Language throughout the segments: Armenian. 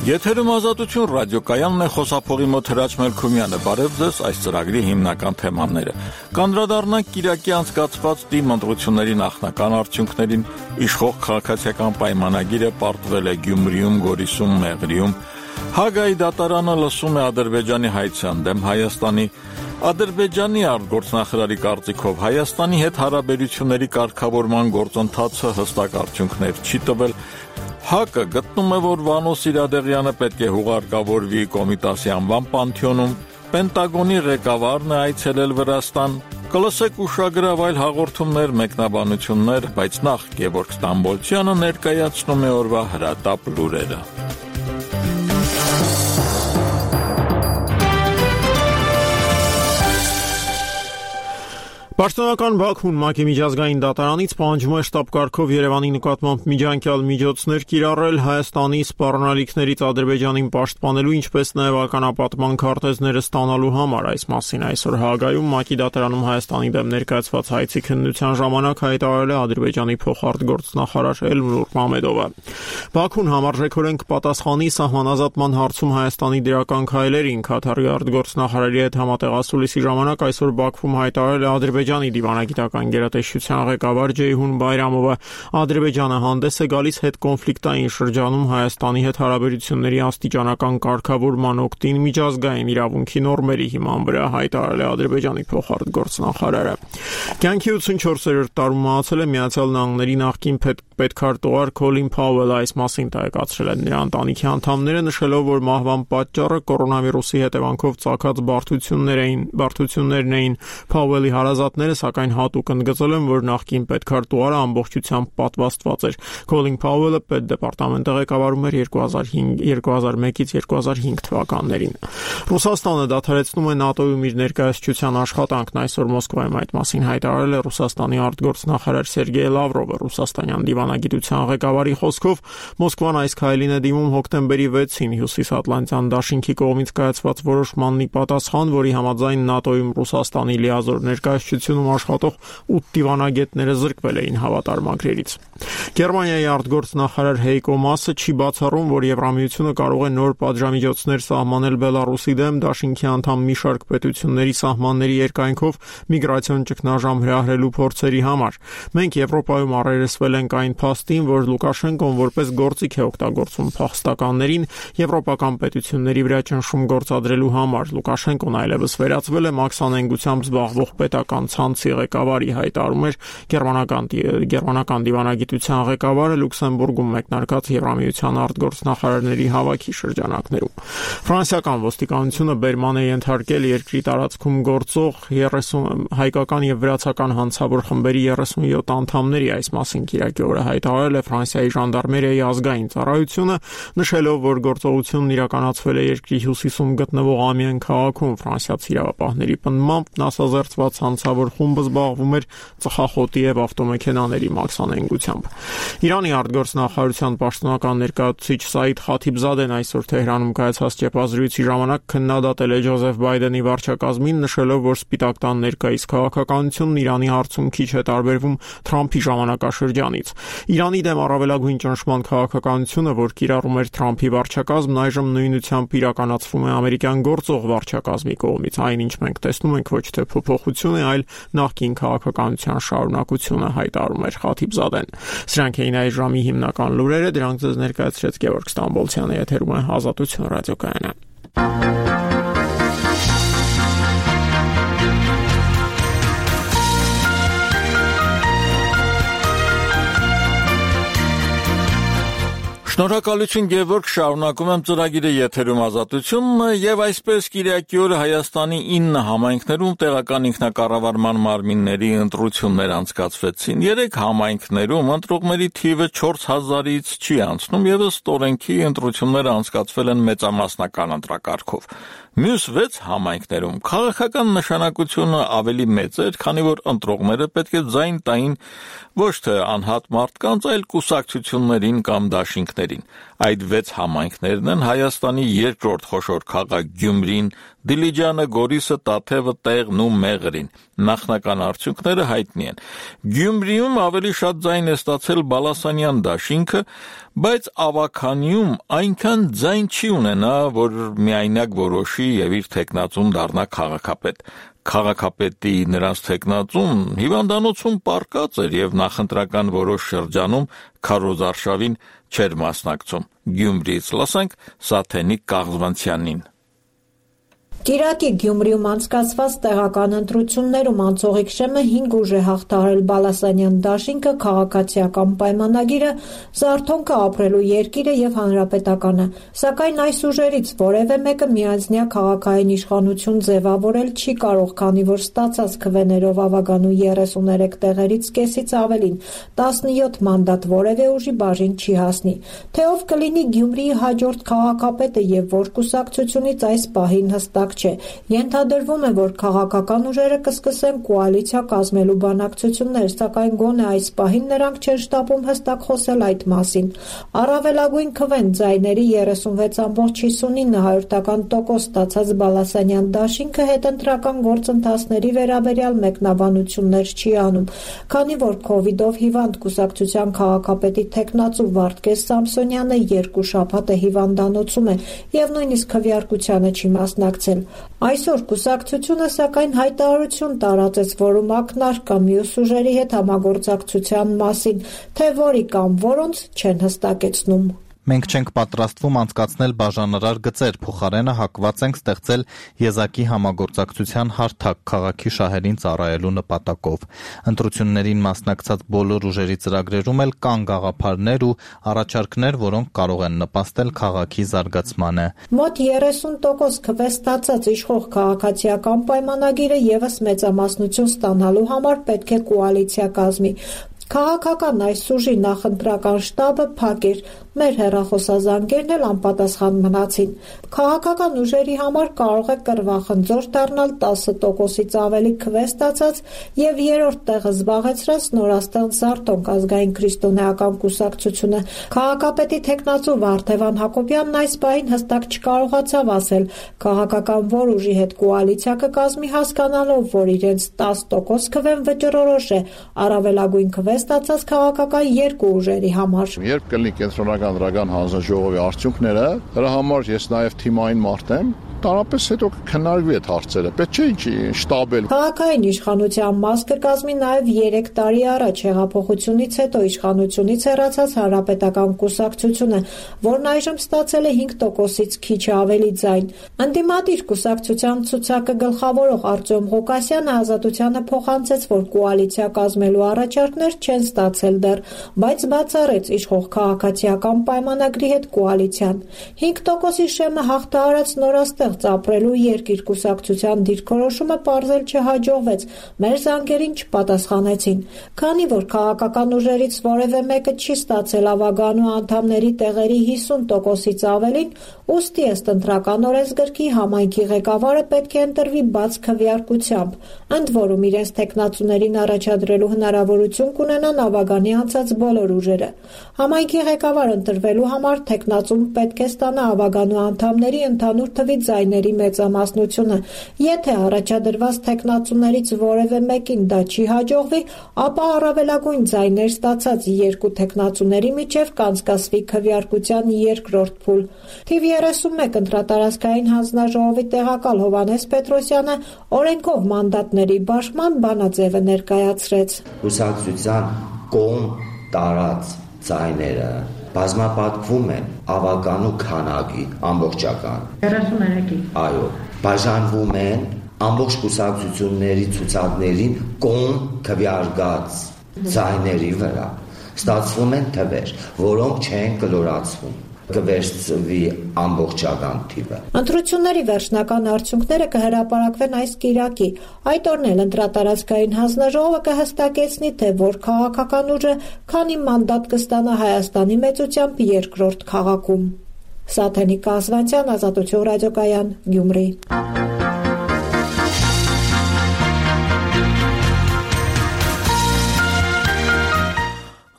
Եթերում ազատություն ռադիոկայանն է, խոսափողի մոտ Հրաչ Մելքումյանը, բարև ձեզ, այս ծրագրի հիմնական թեմաները։ Կանդրադառնանք կիրակի անցկացված ՏԻՄ ընտրությունների նախնական արդյունքներին, իշխող քաղաքացիական պայմանագիրը պարտվել է Գյումրիում, Գորիսում, Մեղրիում, Հագայի դատարանը լսում է Ադրբեջանի հայցյան դեմ Հայաստանի, Ադրբեջանի արտգործնախարարի կարծիքով Հայաստանի հետ հարաբերությունների կարգավորման գործընթացը հստակ արդյունքներ չի տվել, ՀԱԿ-ը գտնում է, որ Վանո Սիրադեղյանը պետք է հուղարկավորվի Կոմիտասի անվան պանթեոնում, Պենտագոնի ղեկավարն է այցելել Վրաստան, կլսեք ուշագրավ այլ հաղորդումներ, մեկնաբանություններ, բայց նախ Գևորգ Ստամբոլցյանը ներկայացնում է օրվա հրատապ լուրերը։ Պաշտոնական Բաքուն ՄԱԿ-ի միջազգային դատարանից պահանջում է շտապ-կարգով Երևանի նկատմամբ միջանկյալ միջոցներ կիրառել Հայաստանի սպառնալիքներից Ադրբեջանին պաշտպանելու, ինչպես նաև ականապատման քարտեզները ստանալու համար։ Այս մասին այսօր Հաագայում ՄԱԿ-ի դատարանում Հայաստանի դեմ ներկայացված հայցի քննության ժամանակ հայտարարել է Ադրբեջանի փոխարտգործնախարար Էլնուր Մամեդովը։ Բաքուն համարժեքորեն կպատասխանի սահմանազատման հարցում Հայաստանի դրական քայլերին։ Քաթարի արտգործնախարարի հետ համատեղ ասուլիսի ժամանակ այսօր Բաքվում հայտարարել է Ադրբեջանի դիվանագիտական գերատեսչության ղեկավար Ջեյհուն Բայրամովը։ Ադրբեջանը հանդես է գալիս հետկոնֆլիկտային շրջանում Հայաստանի հետ հարաբերությունների աստիճանական կարգավորման օգտին միջազգային իրավունքի նորմերի հիման վրա, հայտարարել է Ադրբեջանի փոխարտգործնախարարը։ Կյանքի 84-րդ տարում մահացել է Միացյալ Նահանգների նախկին պետքարտուղար Քոլին Փաուելը, այս մասին տեղեկացրել են նրա ընտանիքի անդամները, նշելով, որ մահվան պատճառը կորոնավիրուսի հետևանքով ծագած բարդություններն էին։ Փաուելի հարազատները սակայն հատուկ ընդգծել են, որ նախկին պետքարտուղարը ամբողջությամբ պատվաստված էր։ Քոլին Փաուելը պետդեպարտամենտը ղեկավարում էր 2001-ից 2005 թվականներին։ Ռուսաստանը դադարեցնում է ՆԱՏՕ-ում իր ներկայացչության աշխատանքն, այսօր Մոսկվայում այդ մասին հայտարարել է Ռուսաստանի արտգործնախարար Սերգեյ Լավրովը։ Ռուսաստանյան դիվանագիտության ղեկավարի խոսքով Մոսկվան այս քայլին է դիմում հոկտեմբերի 6-ին Հյուսիսատլանտյան դաշինքի կողմից կայացված որոշմանն ի պատասխան, որի համաձայն ՆԱՏՕ-ում Ռուսաստանի լիազոր ներկայացությունում աշխատող 8 դիվանագետները զրկվել էին հավատարմագրերից։ Գերմանիայի արտգործնախարար Հեյկո Մասը չի բացառում, որ Եվրամիությունը կարող է նոր պատժամիջոցներ սահմանել Բելարուսի դեմ դաշինքի անդամ մի շարք պետությունների սահմանների երկայնքով միգրացիոն ճգնաժամ հրահրելու փորձերի համար։ Մենք Եվրոպայում առերեսվել ենք այն փաստին, որ Լուկաշենկոն որպես գործիք է օգտագործում փախստականներին եվրոպական պետությունների վրա ճնշում գործադրելու համար։ Լուկաշենկոն այլևս վերածվել է մաքսանենգությամբ զբաղվող պետական ցանցի ղեկավարի, հայտարարում էր գերմանական դիվանագիտության ղեկավարը Լյուքսեմբուրգում մեկնարկած Եվրամիության արտգործնախարարների հավաքի շրջանակներում։ Ֆրանսիական ոստիկանությունը բերման է ենթարկել երկրի տարածքում գործող 30 հայկական եւ վրացական հանցավոր խմբերի 37 անդամների, այս մասին կիրակի օրը հայտարարել է Ֆրանսիայի ժանդարմերիայի ազգային ծառայությունը, նշելով, որ գործողությունն իրականացվել է երկրի հյուսիսում գտնվող Ամիեն քաղաքում։ Ֆրանսիացի իրավապահների պնդմամբ նասազերծված հանցավոր խումբը զբաղվում էր ծխախոտի եւ ավտոմեքենաների մաքսանենգությամբ։ Իրանի արտգործնախարարության պաշտոնական ներկայացուցիչ Սաիդ Խաթիբզադեն այսօր Թեհրանում կայացած ճեպազրույցի ժամանակ քննադատել է Ջոզեֆ Բայդենի վարչակազմին, նշելով, որ Սպիտակ տան ներկայիս քաղաքականությունն Իրանի հարցում քիչ է տարբերվում Թրամփի ժամանակաշրջանից։ Իրանի դեմ առավելագույն ճնշման քաղաքականությունը, որ կիրառում էր Թրամփի վարչակազմն, այժմ նույնությամբ իրականացվում է ամերիկյան գործող վարչակազմի կողմից։ Այն, ինչ մենք տեսնում ենք, ոչ թե փոփոխություն է, այլ նախկին քաղաքականության շարունակությունը, հայտարարում էր Խաթիբզադեն։ Սրանք էին այս ժամի հիմնական լուրերը, դրանք ձեզ ներկայացրեց Գևորգ Ստամբոլցյանը, եթերում է Ազատություն ռադիոկայանը։ Շնորհակալություն Գևորգ, շարունակում եմ ծրագիրը եթերում Ազատությունն եւ այսպես կիրակի օրը Հայաստանի 9 համայնքներում տեղական ինքնակառավարման մարմինների ընտրություններ անցկացվեցին։ 3 համայնքներում ընտրողների թիվը 4000-ից չի անցնում եւ ըստ օրենքի ընտրությունները անցկացվել են մեծամասնական ընտրակարգով։ Մյուս 6 համայնքներում քաղաքական նշանակությունը ավելի մեծ էր, քանի որ ընտրողները պետք է ձայն տային ոչ թե անհատ մարդկանց, այլ կուսակցություններին կամ դաշինքներին։ համայնքներին։ Այդ 6 համայնքներն են Հայաստանի երկրորդ խոշոր քաղաք Գյումրին, Դիլիջանը, Գորիսը, Տաթևը, Տեղն ու Մեղրին։ Նախնական արդյունքները հայտնի են։ Գյումրիում ավելի շատ ձայն է ստացել Բալասանյան դաշինքը, բայց Ավագանիում այնքան ձայն չի ունենա, որ միայնակ որոշի եւ իր թեկնածուն դառնա քաղաքապետ։ Քաղաքապետի նրանց թեկնածուն հիվանդանոցում պառկած էր եւ նախընտրական որոշ շրջանում քարոզարշավին չէր մասնակցում։ Գյումրիից լսենք Սաթենիկ Կաղզվանցյանին։ Կիրակի Գյումրիում անցկացված տեղական ընտրություններում անցողիկ շեմը 5 ուժ է հաղթահարել Բալասանյան դաշինքը, քաղաքացիական պայմանագիրը, Զարթոնքը, ապրելու երկիրը եւ հանրապետականը, սակայն այս ուժերից որևէ մեկը միանձնյա քաղաքային իշխանություն ձևավորել չի կարող, քանի որ ստացած քվեներով Ավագանու 33 տեղերից կեսից ավելին 17 մանդատ որևէ ուժի բաժին չի հասնի։ Թե ով կլինի Գյումրիի հաջորդ քաղաքապետը եւ որ կուսակցությունից այս պահին հստակ չէ։ Ենթադրվում է, որ քաղաքական ուժերը կսկսեն կոալիցիա կազմելու բանակցություններ, սակայն գոնե այս պահին նրանք չեն շտապում հստակ խոսել այդ մասին։ Առավելագույն քվեն ձայների 36.59% ստացած Բալասանյան դաշինքը հետընտրական գործընթացների վերաբերյալ մեկնաբանություններ չի անում, քանի որ COVID-ով հիվանդ կուսակցության քաղաքապետի թեկնածու Վարդգես Սամսոնյանը 2 շաբաթ է հիվանդանոցում է եւ նույնիսկ քվեարկությանը չի մասնակցել։ Այսօր կուսակցությունը սակայն հայտարարություն տարածեց, որում ակնարկա մյուս ուժերի հետ համագործակցության մասին, թե որի կամ որոնց չեն հստակեցնում։ Մենք չենք պատրաստվում անցկացնել բաժանարար գծեր, փոխարենը հակված ենք ստեղծել եզակի համագործակցության հարթակ քաղաքի շահերին ծառայելու նպատակով։ Ընտրություններին մասնակցած բոլոր ուժերի ծրագրերում էլ կան գաղափարներ ու առաջարկներ, որոնք կարող են նպաստել քաղաքի զարգացմանը։ Մոտ 30% քվե ստացած իշխող քաղաքացիական պայմանագիրը եւս մեծամասնություն ստանալու համար պետք է կոալիցիա կազմի։ Քաղաքական այս ուժի նախընտրական շտաբը փակ էր, մեր հեռախոսազանգերն էլ անպատասխան մնացին։ Քաղաքական ուժերի համար կարող է կռվախնձոր դառնալ 10%-ից ավելի քվե ստացած եւ երրորդ տեղը զբաղեցրած նորաստեղծ Զարթոնք ազգային քրիստոնեական կուսակցությունը։ Քաղաքապետի թեկնածու Վարդևան Հակոբյանն այս պահին հստակ չկարողացավ ասել քաղաքական որ ուժի հետ կոալիցիա կկազմի, հասկանալով, որ իրենց 10% քվեն վճռորոշ է, առավելագույն քվե ստացած քաղաքական երկու ուժերի համար։ Երբ կլինի կենտրոնական դրական հանձնաժողովի արդյունքները, դրա համար ես նաև թիմային մարդ եմ, տարապես հետո քննարկվի այդ հարցերը, պետք չէ շտաբել։ Քաղաքային իշխանության մաս կկազմի նաև 3 տարի առաջ հեղափոխությունից հետո իշխանությունից հեռացած հանրապետական կուսակցությունը, որն այժմ ստացել է 5%-ից քիչ ավելի ձայն։ Ընդդիմադիր կուսակցության ցուցակը գլխավորող Արտյոմ Ղուկասյանը Ազատությանը փոխանցեց, որ կոալիցիա կազմելու առաջարկներ չեն ստացել դեռ, բայց բացառեց իշխող քաղաքացիական պայմանագրի հետ կոալիցիան։ 5%-ի շեմը հաղթահարած նորաստեղծ ապրելու երկիր կուսակցության դիրքորոշումը պարզել չհաջողվեց, մեր զանգերին չպատասխանեցին։ Քանի որ քաղաքական ուժերից որևէ մեկը չի ստացել Ավագանու անդամների տեղերի 50%-ից ավելին, ուստի ըստ ընտրական օրենսգրքի համայնքի ղեկավարը պետք է ընտրվի բաց քվեարկությամբ, ընդ որում իրենց թեկնածուներին առաջադրելու հնարավորություն կունենան Ավագանի անցած բոլոր ուժերը։ Համայնքի ղեկավար ընտրվելու համար թեկնածուն պետք է ստանա Ավագանու անդամների ընդհանուր թվի ձայների մեծամասնությունը։ Եթե առաջադրված թեկնածուներից որևէ մեկին դա չի հաջողվի, ապա առավելագույն ձայներ ստացած երկու թեկնածուների միջև կանցկացվի քվեարկության երկրորդ փուլ։ Թիվ 31 ընտրատարածքային հանձնաժողովի տեղակալ Հովհաննես Պետրոսյանը օրենքով մանդատների բաշխման բանաձևը ներկայացրեց։ Կուսակցության կողմ տարած ձայները բազմապատկվում են Ավագանու քանակի ամբողջական 33-ի։ Այո, բաժանվում են ամբողջ կուսակցությունների ցուցակներին կողմ քվեարկած ձայների վրա։ Ստացվում են թվեր, որոնք չեն կլորացվում։ Կվերցվի ամբողջական թիվը։ Ընտրությունների վերջնական արդյունքները կհրապարակվեն այս կիրակի։ Այդ օրն էլ ընտրատարածքային հանձնաժողովը կհստակեցնի, թե որ քաղաքական ուժը քանի մանդատ կստանա Հայաստանի մեծությամբ երկրորդ քաղաքում։ Սաթենիկ Կազվանցյան, Ազատություն ռադիոկայան, Գյումրի։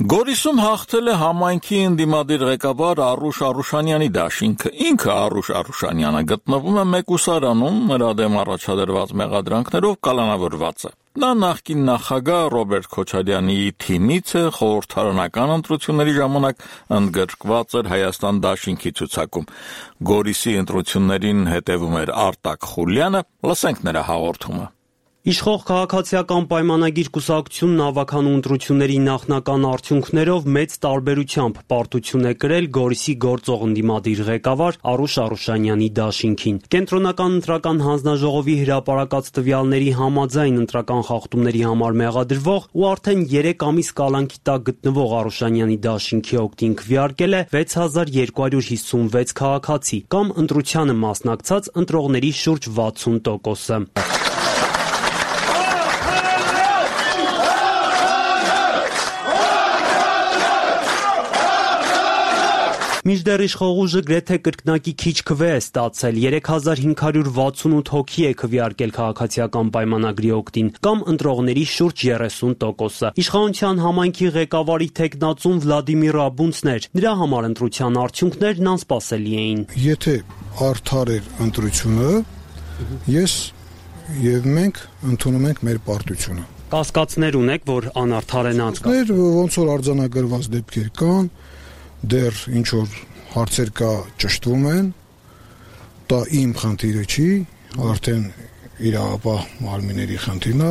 Գորիսում հաղթել է համայնքի ընդդիմադիր ղեկավար Արուշ Արուշանյանի դաշինքը։ Ինքը Արուշ Արուշանյանը գտնվում է Մեկուսարանում, նրա դեմ առաջադրված մեղադրանքներով կալանավորված է։ Նա նախկին նախագահ Ռոբերտ Քոչարյանի թիմից է, խորհրդարանական ընտրությունների ժամանակ ընդգրկված էր Հայաստան դաշինքի ցուցակում։ Գորիսի ընտրություններին հետևում էր Արտակ Խուլյանը, լսենք նրա հաղորդումը։ Իշխող քաղաքացիական պայմանագիր կուսակցությունն ավագանու ընտրությունների նախնական արդյունքներով մեծ տարբերությամբ պարտություն է կրել Գորիսի գործող ընդդիմադիր ղեկավար Արուշ Արուշանյանի դաշինքին։ Կենտրոնական ընտրական հանձնաժողովի հրապարակած տվյալների համաձայն ընտրական խախտումների համար մեղադրվող ու արդեն 3 ամիս կալանքի տակ գտնվող Արուշանյանի դաշինքի օգտին քվեարկել է 6256 քաղաքացի, կամ ընտրությանը մասնակցած ընտրողների շուրջ 60%-ը։ Մինչդեռ իշխող ուժը գրեթե կրկնակի քիչ քվե է ստացել, 3568 հոգի է քվեարկել քաղաքացիական պայմանագրի օգտին, կամ ընտրողների շուրջ 30%-ը։ Իշխանության համայնքի ղեկավարի թեկնածուն Վլադիմիր Աբունցն էր, նրա համար ընտրության արդյունքներն անսպասելի էին։ Եթե արդար էր ընտրությունը, ես եւ մենք ընդունում ենք մեր պարտությունը։ Կասկածներ ունեք, որ անարդար են անցկացվել։ Ոնց որ արձանագրված դեպքեր կան, դեռ ինչ որ հարցեր կա ճշտվում են, դա իմ խնդիրը չի, արդեն իրավապահ մարմինների խնդիրն է,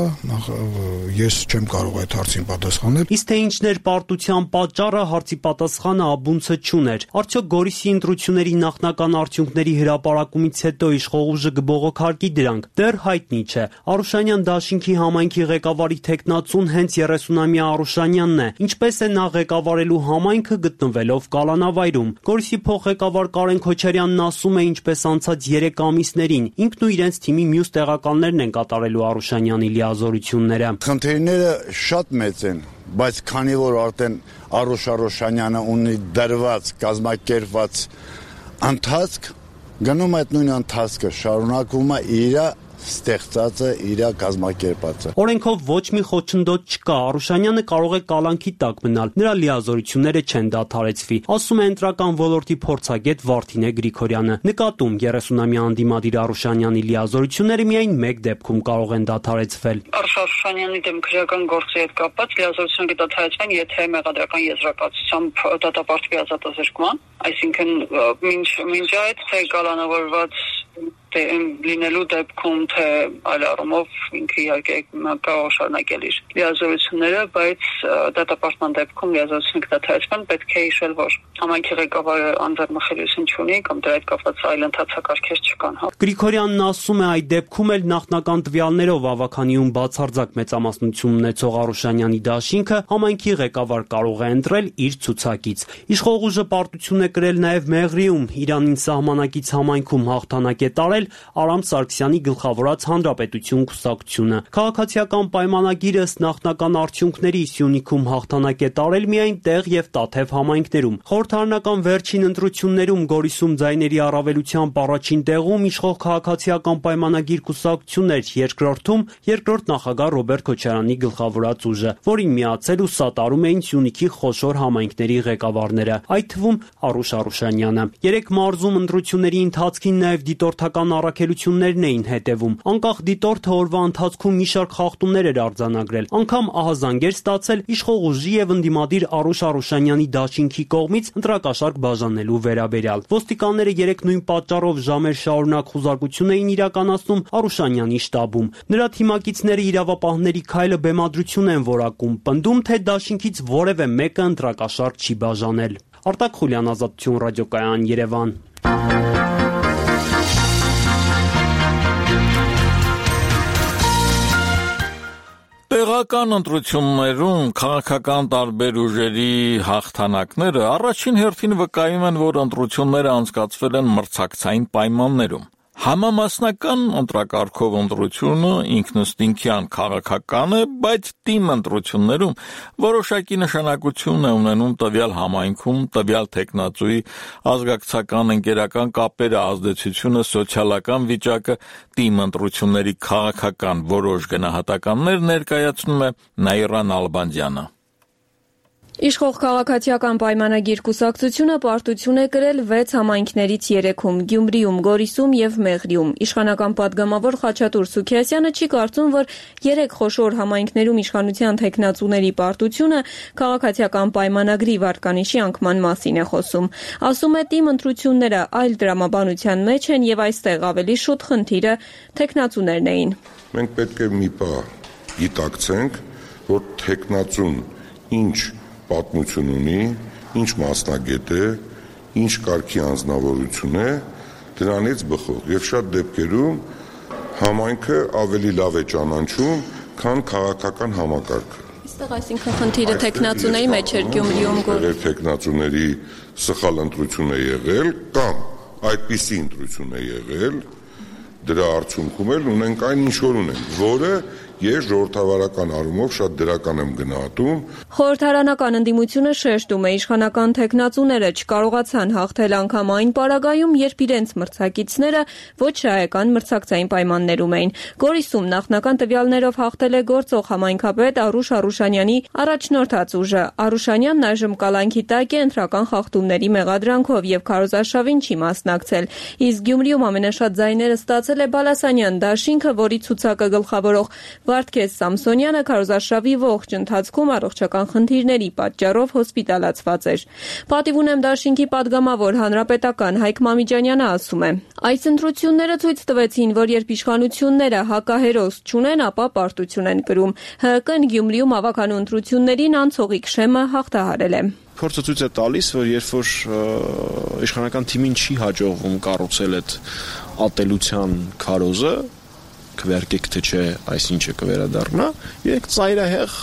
ես չեմ կարող այդ հարցին պատասխանել։ Իսկ թե ինչն էր պարտության պատճառը, հարցի պատասխանը Աբունցը չուներ։ Արդյոք Գորիսի ընտրությունների նախնական արդյունքների հրապարակումից հետո իշխող ուժը կբողոքարկի դրանք, դեռ հայտնի չէ։ Արուշանյան դաշինքի համայնքի ղեկավարի թեկնածուն հենց 30-ամյա Արուշանյանն է, ինչպես է նա ղեկավարելու համայնքը գտնվելով կալանավայրում։ Գորիսի փոխղեկավար Կարեն Քոչարյանն ասում է, ինչպես անցած 3 ամիսներին, ինքն ու իրենց թիմի մյուս տեղականներն են կատարելու Արուշանյանի լիազորությունները։ Խնդիրները շատ մեծ են, բայց քանի որ արդեն Արուշ Արուշանյանը ունի դրված, կազմակերպված ընթացք, գնում այդ նույն ընթացքը շարունակվում է իր ստեղծածը, իր կազմակերպածը։ Օրենքով ոչ մի խոչընդոտ չկա, Արուշանյանը կարող է կալանքի տակ մնալ, նրա լիազորությունները չեն դադարեցվի, ասում է ընտրական ոլորտի փորձագետ Վարդինե Գրիգորյանը։ Նկատում 30-ամյա անդիմադիր Արուշանյանի լիազորությունները միայն մեկ դեպքում կարող են դադարեցվել։ Արուշ Արուշանյանի դեմ քրեական գործի հետ կապված լիազորությունը կդադարեցվեն, եթե մեղադրական եզրակացությամբ դատապարտվի ազատազրկման, այսինքն մինչ այդ թե կալանավորված լինելու դեպքում, թե այլ առումով ինքը իհարկե կարող շարունակել իր լիազորությունները, բայց դատապարտման դեպքում լիազորությունը կդադարեցվեն, պետք է հիշել, որ համայնքի ղեկավարը անձեռնմխելիություն չունի կամ դրա հետ կապված այլ ընթացակարգեր չկան։ Գրիգորյանն ասում է, այդ դեպքում էլ նախնական տվյալներով ավագանիում բացարձակ մեծամասնություն ունեցող Արուշանյանի դաշինքը համայնքի ղեկավար կարող է ընտրել իր ցուցակից։ Իշխող ուժը պարտություն է կրել նաև Մեղրիում, Իրանին սահմանակից համայնքում հաղթանակ է տարել Արամ Սարգսյանի գլխավորած Հանրապետություն կուսակցությունը։ Քաղաքացիական պայմանագիրը ըստ նախնական արդյունքների Սյունիքում հաղթանակ է տարել միայն Տեղ եւ Տաթև համայնքներում։ Խորհրդարանական վերջին ընտրություններում Գորիսում ձայների առավելությամբ առաջին տեղում իշխող քաղաքացիական պայմանագիր կուսակցությունն էր, երկրորդում երկրորդ նախագահ Ռոբերտ Քոչարյանի գլխավորած ուժը, որին միացել ու սատարում էին Սյունիքի խոշոր համայնքների ղեկավարները, այդ թվում Արուշ Արուշանյանը։ 3 մարզում ընտրությունների ընթացքին նաև դիտորդական առաքելություններն էին հետևում։ Անկախ դիտորդը օրվա ընթացքում մի շարք խախտումներ էր արձանագրել, անգամ ահազանգեր ստացել իշխող ուժի եւ ընդդիմադիր Արուշ Արուշանյանի դաշինքի կողմից ընտրակաշառք բաժանելու վերաբերյալ։ Ոստիկանները 3 նույն պատճառով ժամեր շարունակ խուզարկություն էին իրականացնում Արուշանյանի շտաբում։ Նրա թիմակիցները իրավապահների քայլը բեմադրություն են որակում, պնդում, թե դաշինքից որևէ մեկը ընտրակաշառք չի բաժանել։ Արտակ Խուլյան, Ազատություն ռադիոկայան, Երևան։ Տեղական ընտրություններում քաղաքական տարբեր ուժերի հաղթանակները առաջին հերթին վկայում են, որ ընտրությունները անցկացվել են մրցակցային պայմաններում։ Համամասնական ընտրակարգով ընտրությունը ինքնըստինքյան քաղաքական է, բայց թիմ ընտրություններում որոշակի նշանակություն է ունենում տվյալ համայնքում, տվյալ թեկնածուի ազգակցական ընկերական կապերը, ազդեցությունը, սոցիալական վիճակը, թիմ ընտրությունների քաղաքական որոշ գնահատականներ ներկայացնում է Նաիրա Նալբանդյանը։ Իշխող քաղաքացիական պայմանագիր կուսակցությունը պարտություն է կրել 6 համայնքներից 3-ում՝ Գյումրիում, Գորիսում եւ Մեղրիում։ Իշխանական պատգամավոր Խաչատուր Սուքիասյանը չի կարծում, որ 3 խոշոր համայնքներում իշխանության թեկնածուների պարտությունը քաղաքացիական պայմանագրի վարկանիշի անկման մասին է խոսում։ Ասում է, թիմ ընտրությունները այլ դրամաբանության մեջ են եւ այստեղ ավելի շուտ խնդիրը թեկնածուներն էին։ Մենք պետք է մի բան գիտակցենք, որ թեկնածուն ինչ պատմություն ունի, ինչ մասնագետ է, ինչ կարգի անձնավորություն է, դրանից բխող եւ շատ դեպքերում համայնքը ավելի լավ է ճանաչում, քան քաղաքական համակարգը։ Այստեղ այսինքն խնդիրը թեկնածուների մեջ էր Գյումրիում գոր։ Թեկնածուների սխալ ընտրություն է եղել կամ այդպիսի ընտրություն է եղել, դրա արդյունքում էլ ունենք այն ինչ որ ունենք, որը ես ժողովրդավարական առումով շատ դրական եմ գնահատում։ Խորհրդարանական ընդդիմությունը շեշտում է, իշխանական թեկնածուները չկարողացան հաղթել անգամ այն պարագայում, երբ իրենց մրցակիցները ոչ շահեկան մրցակցային պայմաններում էին։ Գորիսում նախնական տվյալներով հաղթել է գործող համայնքապետ Արուշ Արուշանյանի առաջնորդած ուժը։ Արուշանյանն այժմ կալանքի տակ է ընտրական խախտումների մեղադրանքով եւ քարոզարշավին չի մասնակցել։ Իսկ Գյումրիում ամենաշատ ձայները ստացել է Բալասանյան դաշինքը, որի ցուցակը գլխավորող Վարդգես Սամսոնյանը քարոզարշավի ողջ ընթացքում առողջական խնդիրների պատճառով հոսպիտալացված էր։ Պատիվ ունեմ դաշինքի падգամավոր հանրապետական Հայկ Մամիջանյանը ասում է. Այս ընտրությունները ցույց տվեցին, որ երբ իշխանությունները հակահերոս չունեն, ապա պարտություն են կրում։ ՀԿ-ն Գյումրիում ավականու ընտրություններին անցողիկ շեմը հաղթահարել է։ Փորձը ցույց է տալիս, որ երբ որ իշխանական թիմին չի հաջողվում կառուցել այդ ատելության քարոզը, քվեարկեք թե չէ, այսինչը կվերադառնա, երեք ծայրահեղ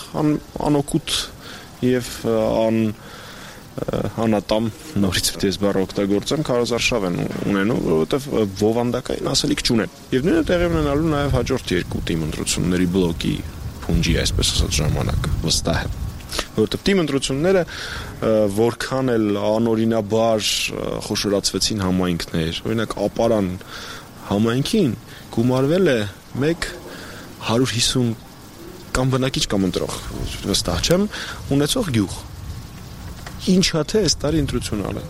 անօգուտ եւ անատամ նորից դες բառ օգտագործեմ քարոզարշավ են ունենում, որովհետեւ ովանդակային ասելիք չունեն։ Եվ նույնը տեղի ունենալու նաեւ հաջորդ երկու թիմ ընտրությունների բլոկի փունջի, այսպես ասած, ժամանակ վստահ եմ։ Որովհետեւ թիմ ընտրությունները որքան էլ անօրինաբար խոշորացվեցին համայնքներ, օրինակ Ապարան համայնքին գումարվել է 150 կամ բնակիչ կամ ընտրող, վստահ չեմ, ունեցող գյուղ։ Ինչա թե այս տարի ընտրություն ալեն։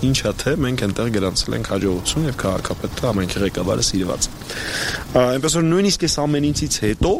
Ինչա թե մենք այնտեղ գրանցել ենք հաջողություն եւ քաղաքապետը համայնքի ղեկավարը սիրված։ Այնպես որ նույնիսկ այս ամեն ինչից հետո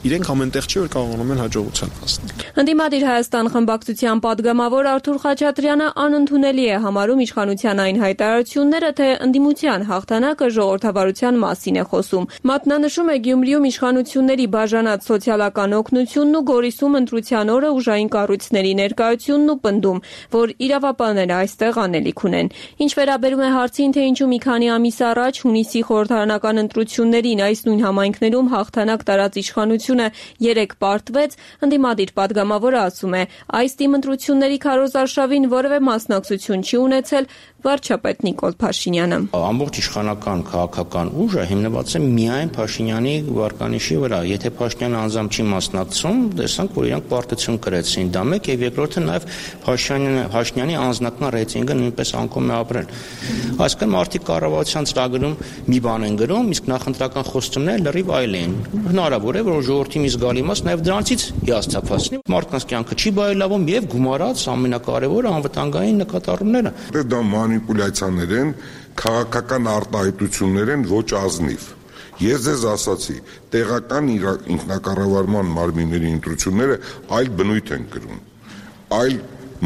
իրենք ամենտեղ չի որ կարողանում են հաջողության հասնել։ Ընդդիմադիր Հայաստան խմբակցության падգամավոր Արթուր Խաչատրյանը անընդունելի է համարում իշխանության այն հայտարարությունները, թե ընդդիմության հաղթանակը ժողովրդավարության մասին է խոսում։ Մատնանշում է Գյումրիում իշխանությունների բաժանած սոցիալական օգնությունն ու Գորիսում ընտրության օրը ուժային կառույցների ներկայությունն ու պնդում, որ իրավապահները այստեղ անելիք ունեն։ Ինչ վերաբերում է հարցին, թե ինչու մի քանի ամիս առաջ հունիսի խորհրդարանական ընտրություններին այս նույն համայնքներում հաղթանակ տարած իշխանությունը 3 պարտվեց, ընդդիմադիր падգամավորը ասում է, այս թիմ ընտրությունների քարոզարշավին որևէ մասնակցություն չի ունեցել վարչապետ Նիկոլ Փաշինյանը։ Ամբողջ իշխանական քաղաքական ուժը հիմնված է միայն Փաշինյանի վարկանիշի վրա։ Եթե Փաշինյանը անձամբ չի մասնակցում, տեսանք, որ իրանք պարտություն կրեցին։ Դա մեկ եւ երկրորդը նաեւ Փաշինյանի անձնական ռեյտինգը նույնպես անկում է ապրել։ Այսինքն մարդիկ կառավարության ծրագրում մի բան են գրում, իսկ նախընտրական խոստումները լրիվ այլ են։ Հնարավոր է, որ ժողովրդի մի զգալի մաս նաեւ դրանից հիասթափվի։ Մարդկանց կյանքը չի բարելավում եւ գումարած ամենակարևորը անվտանգային նկատառումները։ Դա մանիպուլյացիաներ են, քաղաքական արտահայտություններ են ոչ ազնիվ։ Ես ձեզ ասացի, տեղական ինքնակառավարման մարմինների ընտրությունները այլ բնույթ են կրում, այլ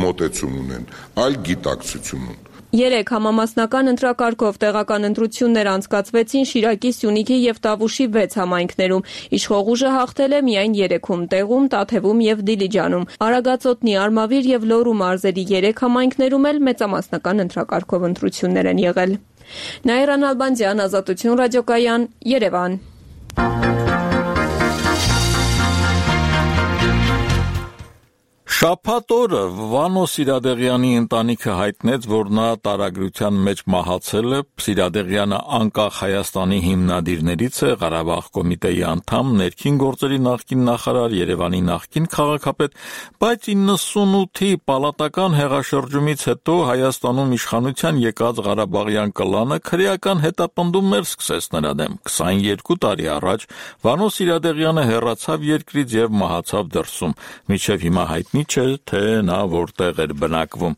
մոտեցում ունեն, այլ գիտակցություն ունեն։ 3 համամասնական ընտրակարգով տեղական ընտրություններ անցկացվեցին Շիրակի, Սյունիքի եւ Տավուշի 6 համայնքներում։ Իշխող ուժը հաղթել է միայն 3-ում՝ Տեղում, Տաթևում եւ Դիլիջանում։ Արագածոտնի, Արմավիր եւ Լոռու մարզերի 3 համայնքներում էլ մեծամասնական ընտրակարգով ընտրություններ են եղել։ Նաիրան Ալբանդյան, Ազատություն ռադիոկայան, Երևան։ Շաբաթ օրը Վանո Սիրադեղյանի ընտանիքը հայտնեց, որ նա տարագրության մեջ մահացել է։ Սիրադեղյանը անկախ Հայաստանի հիմնադիրներից է, Ղարաբաղ կոմիտեի անդամ, ներքին գործերի նախկին նախարար, Երևանի նախկին քաղաքապետ, բայց 98-ի պալատական հեղաշրջումից հետո Հայաստանում իշխանության եկած Ղարաբաղյան կլանը քրեական հետապնդումներ սկսեց նրա դեմ։ 22 տարի առաջ Վանո Սիրադեղյանը հեռացավ երկրից եւ մահացավ դրսում։ Մինչեւ հիմա հայտնի չէ, թե նա որտեղ էր բնակվում։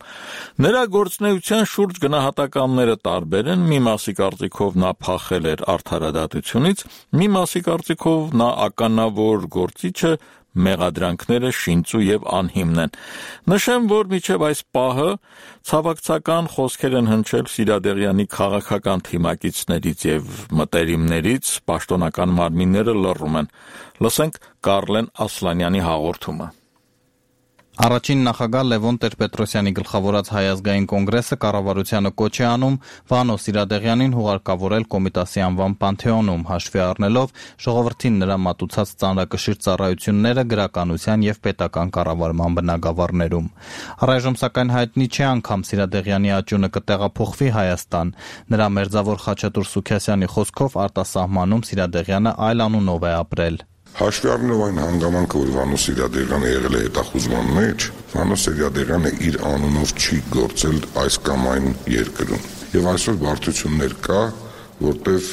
Նրա գործունեության շուրջ գնահատականները տարբեր են, մի մասի կարծիքով նա փախել էր արդարադատությունից, մի մասի կարծիքով նա ականավոր գործիչ է, մեղադրանքները շինծու եւ անհիմն են։ Նշեմ, որ մինչև այս պահը ցավակցական խոսքեր են հնչել Սիրադեղյանի քաղաքական թիմակիցներից եւ մտերիմներից, պաշտոնական մարմինները լռում են։ Լսենք Կարլեն Ասլանյանի հաղորդումը։ Առաջին նախագահ Լևոն Տեր-Պետրոսյանի գլխավորած Հայ ազգային կոնգրեսը կառավարությանը կոչ է անում Վանո Սիրադեղյանին հուղարկավորել Կոմիտասի անվան Պանթեոնում, հաշվի առնելով ժողովրդին նրա մատուցած ծանրակշիռ ծառայությունները գրականության եւ պետական կառավարման բնագավառներում։ Առայժմ սակայն հայտնի չէ անգամ Սիրադեղյանի աճյունը կտեղափոխվի Հայաստան։ Նրա մերձավոր Խաչատուր Սուքիասյանի խոսքով արտասահմանում Սիրադեղյանը այլ անունով է ապրել։ Հաշվի առնելով այն հանգամանքը, որ Վանո Սիրադեղյանը եղել է հետախուզման մեջ, Վանո Սիրադեղյանը իր անունով չի գործել այս կամ այն երկրում։ Եվ այսօր բարդություններ կա, որտեվ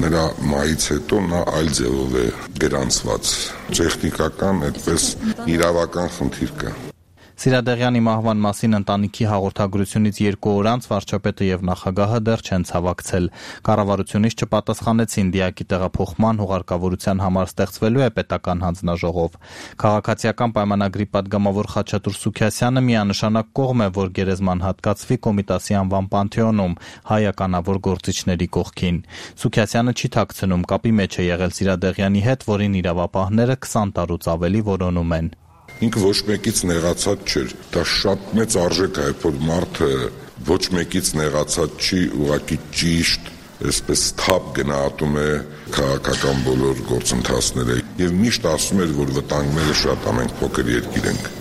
նրա մայից հետո նա այլ ձևով է գրանցված։ Տեխնիկական, այդպես իրավական խնդիր կա։ Սիրադեղյանի մահվան մասին ընտանիքի հաղորդագրությունից 2 օր անց վարչապետը եւ նախագահը դեռ չեն ցավակցել։ Կառավարությունից չպատասխանեցին դիակի տեղափոխման հուղարկավորության համար ստեղծվելու է պետական հանձնաժողով։ Քաղաքացիական պայմանագրի падգամավոր Խաչատուր Սուքիասյանը միանշանակ կողմ է, որ գերեզման հատկացվի Կոմիտասի անվան Պանթեոնում հայականավոր գործիչների կողքին։ Սուքիասյանը չի թաքցնում, կապի մեջ է եղել Սիրադեղյանի հետ, որին իրավապահները 20 տարուց ավելի որոնում են։ Ինքը ոչ մեկից նեղացած չէր։ Դա շատ մեծ արժեք է, որ մարդը ոչ մեկից նեղացած չի, ուղղակի ճիշտ, այսպես թափ գնահատում է քաղաքական բոլոր գործընթացները եւ միշտ ասում էր, որ վտանգները շատ ամենք փոքր երկիր ենք։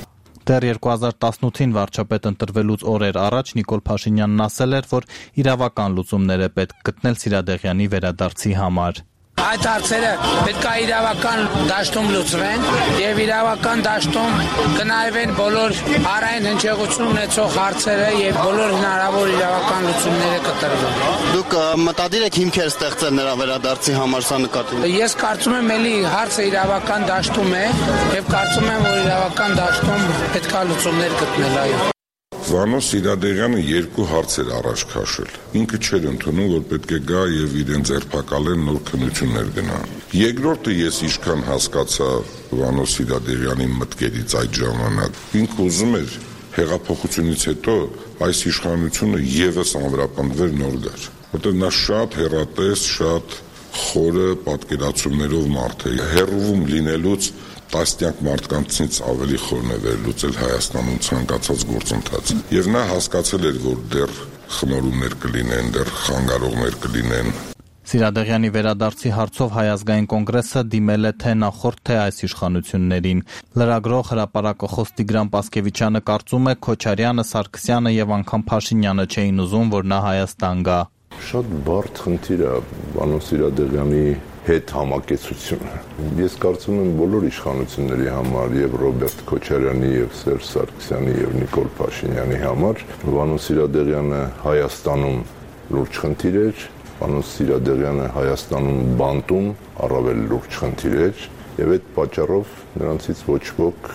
Դեռ 2018-ին վարչապետ ընտրվելուց օրեր առաջ Նիկոլ Փաշինյանն ասել էր, որ իրավական լուծումներ է պետք գտնել Սիրադեղյանի վերադարձի համար։ Այդ հարցերը պետք է իրավական դաշտում լուծվեն եւ իրավական դաշտում կնայվեն բոլոր հարային հնչեղություն ունեցող հարցերը եւ բոլոր հնարավոր իրավական լուծումները կտրվեն։ Դուք մտադիր եք հիմքեր ստեղծել նրա վերադարձի համար, սա նկատի։ Ես կարծում եմ, էլի հարցը իրավական դաշտում է եւ կարծում եմ, որ իրավական դաշտում պետք է լուծումներ գտնել, այո։ Վանո Սիրադեղյանը 2 հարցեր առաջ քաշել։ Ինքը չէր ընդունում, որ պետք է գա եւ իրեն ձերբակալեն նոր քննություններ գնա։ Երկրորդը ես ինչքան հասկացա Վանո Սիրադեղյանի մտքերից այդ ժամանակ, ինքը ուզում էր հեղափոխությունից հետո այս իշխանությունը եւս անվրապնդվեր նոր գար, որտեղ նա շատ հեռատես, շատ խորը պատկերացումներով մարդ է, հեռվում լինելուց տասնյակ մարդկանցից ավելի խորն է վերլուծել Հայաստանում ցանկացած գործընթաց։ Եվ նա հասկացել էր, որ դեռ խմորումներ կլինեն, դեռ խանգարողներ կլինեն։ Սիրադեղյանի վերադարձի հարցով Հայ ազգային կոնգրեսը դիմել է թե նախորդ, թե այս իշխանություններին։ Լրագրող հրապարակախոս Տիգրան Պասկևիչյանը կարծում է Քոչարյանը, Սարգսյանը եւ անգամ Փաշինյանը չէին ուզում, որ նա Հայաստան գա։ Շատ բարդ խնդիր է Վանո Սիրադեղյանի հետ համակեցությունը։ Ես կարծում եմ բոլոր իշխանությունների համար եւ Ռոբերտ Քոչարյանի եւ Սերժ Սարգսյանի եւ Նիկոլ Փաշինյանի համար Վանո Սիրադեղյանը Հայաստանում լուրջ խնդիր էր, Վանո Սիրադեղյանը Հայաստանում բանտում առավել լուրջ խնդիր էր եւ այդ պատճառով նրանցից ոչ ոք,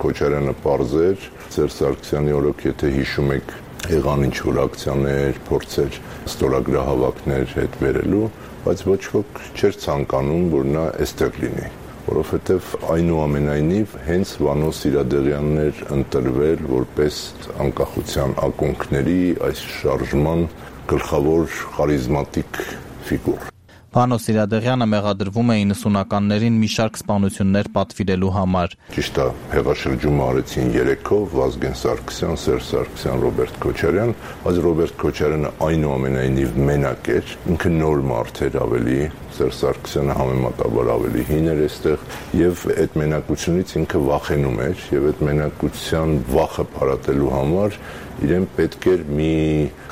Քոչարյանը պարզ էր, Սերժ Սարգսյանի օրոք, եթե հիշում եք, եղան ինչ-որ ակցիաներ, փորձեր ստորագրահավաքներ հետ վերելու, բայց ոչ ոք չէր ցանկանում, որ նա այստեղ լինի, որովհետև այնուամենայնիվ հենց Վանո Սիրադեղյանն էր ընտրվել որպես անկախության ակունքների այս շարժման գլխավոր խարիզմատիկ ֆիգուր։ Վանո Սիրադեղյանը մեղադրվում է 90-ականներին մի շարք սպանություններ պատվիրելու համար։ Ճիշտ է, հեղաշրջումը արեցին 3-ով, Վազգեն Սարգսյան, Սերժ Սարգսյան, Ռոբերտ Քոչարյան, բայց Ռոբերտ Քոչարյանը այնուամենայնիվ մենակ էր, ինքը նոր մարդ էր ավելի, Սերժ Սարգսյանը համեմատաբար ավելի հին էր այստեղ, եւ այդ մենակությունից ինքը վախենում էր, եւ այդ մենակության վախը փարատելու համար իրեն պետք էր մի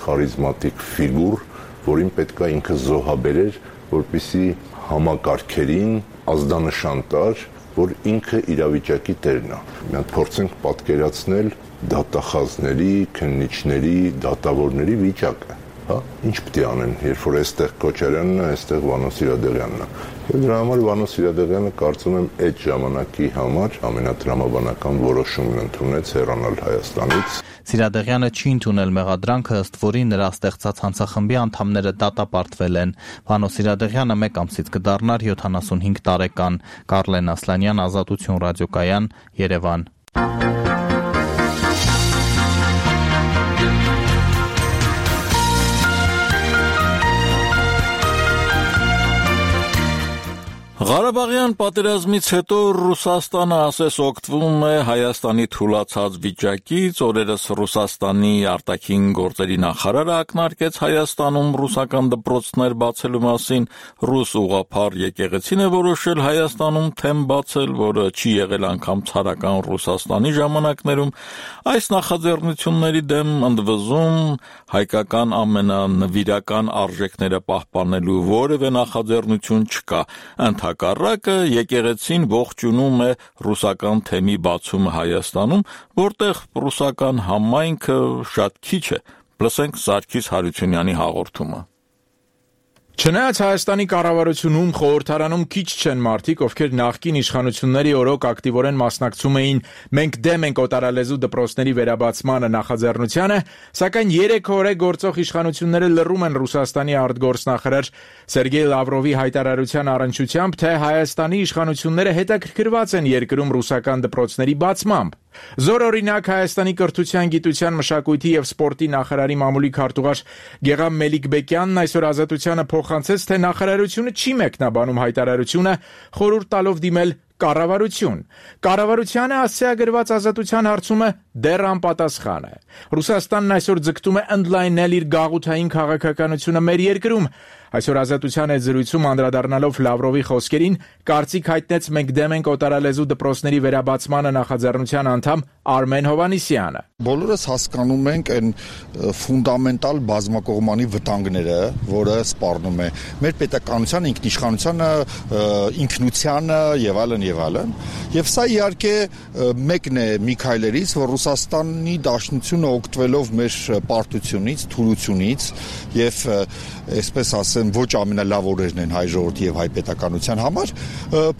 խարիզմատիկ ֆիգուր, որին պետք է ինքը զոհաբերեր, որպեսզի համակարգերին ազդանշան տար, որ ինքը իրավիճակի տերն է։ Մենք փորձենք պատկերացնել դատախազների, քննիչների, դատավորների վիճակը։ հա, ինչ պետք է անեն, երբ որ այստեղ Քոչարյանն է, այստեղ Վանո Սիրադեղյանն է։ Եվ դրա համար Վանո Սիրադեղյանը կարծում եմ այդ ժամանակի համար ամենատրամաբանական որոշումն ընդունեց հեռանալ Հայաստանից։ Սիրադեղյանը չի ընդունել մեղադրանքը, ըստ որի նրա ստեղծած հանցախմբի անդամները դատապարտվել են։ Վանո Սիրադեղյանը 1 ամսից կդառնար 75 տարեկան։ Կարլեն Ասլանյան, Ազատություն ռադիոկայան, Երևան։ Ղարաբաղյան պատերազմից հետո Ռուսաստանը ասես օգտվում է Հայաստանի թուլացած վիճակից, օրերս Ռուսաստանի արտաքին գործերի նախարարը ակնարկեց Հայաստանում ռուսական դպրոցներ բացելու մասին, ռուս ուղղափառ եկեղեցին է որոշել Հայաստանում թեմ բացել, որը չի եղել անգամ ցարական Ռուսաստանի ժամանակներում, այս նախաձեռնությունների դեմ ընդվզում հայկական ամենանվիրական արժեքները պահպանելու որևէ նախաձեռնություն չկա, Հակառակը եկեղեցին ողջունում է ռուսական թեմի բացումը Հայաստանում, որտեղ ռուսական համայնքը շատ քիչ է, լսենք Սարգիս Հարությունյանի հաղորդումը։ Չնայած Հայաստանի կառավարությունում, խորհրդարանում քիչ չեն մարդիկ, ովքեր նախկին իշխանությունների օրոք ակտիվորեն մասնակցում էին «Մենք դեմ ենք օտարալեզու դպրոցների վերաբացմանը» նախաձեռնությանը, սակայն 3 օր է գործող իշխանությունները լռում են Ռուսաստանի արտգործնախարար Սերգեյ Լավրովի հայտարարության առնչությամբ, թե Հայաստանի իշխանությունները հետաքրքրված են երկրում ռուսական դպրոցների բացմամբ։ Զոր օրինակ Հայաստանի կրթության, գիտության, մշակույթի եւ սպորտի նախարարի մամուլի քարտուղար Գեգամ Մելիքբեկյանն այսօր Ազատությանը փոխանցեց, թե նախարարությունը չի մեկնաբանում հայտարարությունը, խորհուրդ տալով դիմել կառավարություն։ Կառավարությանը ասցիագրված Ազատության հարցումը դեռ անպատասխան է։ Ռուսաստանն այսօր ձգտում է ընդլայնել իր գաղութային քաղաքականությունը մեր երկրում։ Այսօր Ազատության հետ զրույցում անդրադառնալով Լավրովի խոսքերին, կարծիք հայտնեց «Մենք դեմ ենք օտարալեզու դպրոցների վերաբացմանը» նախաձեռնության անդամ Արմեն Հովհաննիսյանը։ Բոլորս հասկանում ենք այն ֆունդամենտալ բազմակողմանի վտանգները, որը սպառնում է մեր պետականության, ինքնիշխանությանը, ինքնությանը եւ այլն եւ այլն։ Եվ սա իհարկե մեկն է մի քայլերից, որ Ռուսաստանի Դաշնությունը օգտվելով մեր պարտությունից, թուլությունից եւ այսպես ասեմ ոչ ամենալավ օրերն են հայ ժողովրդի եւ հայ պետականության համար,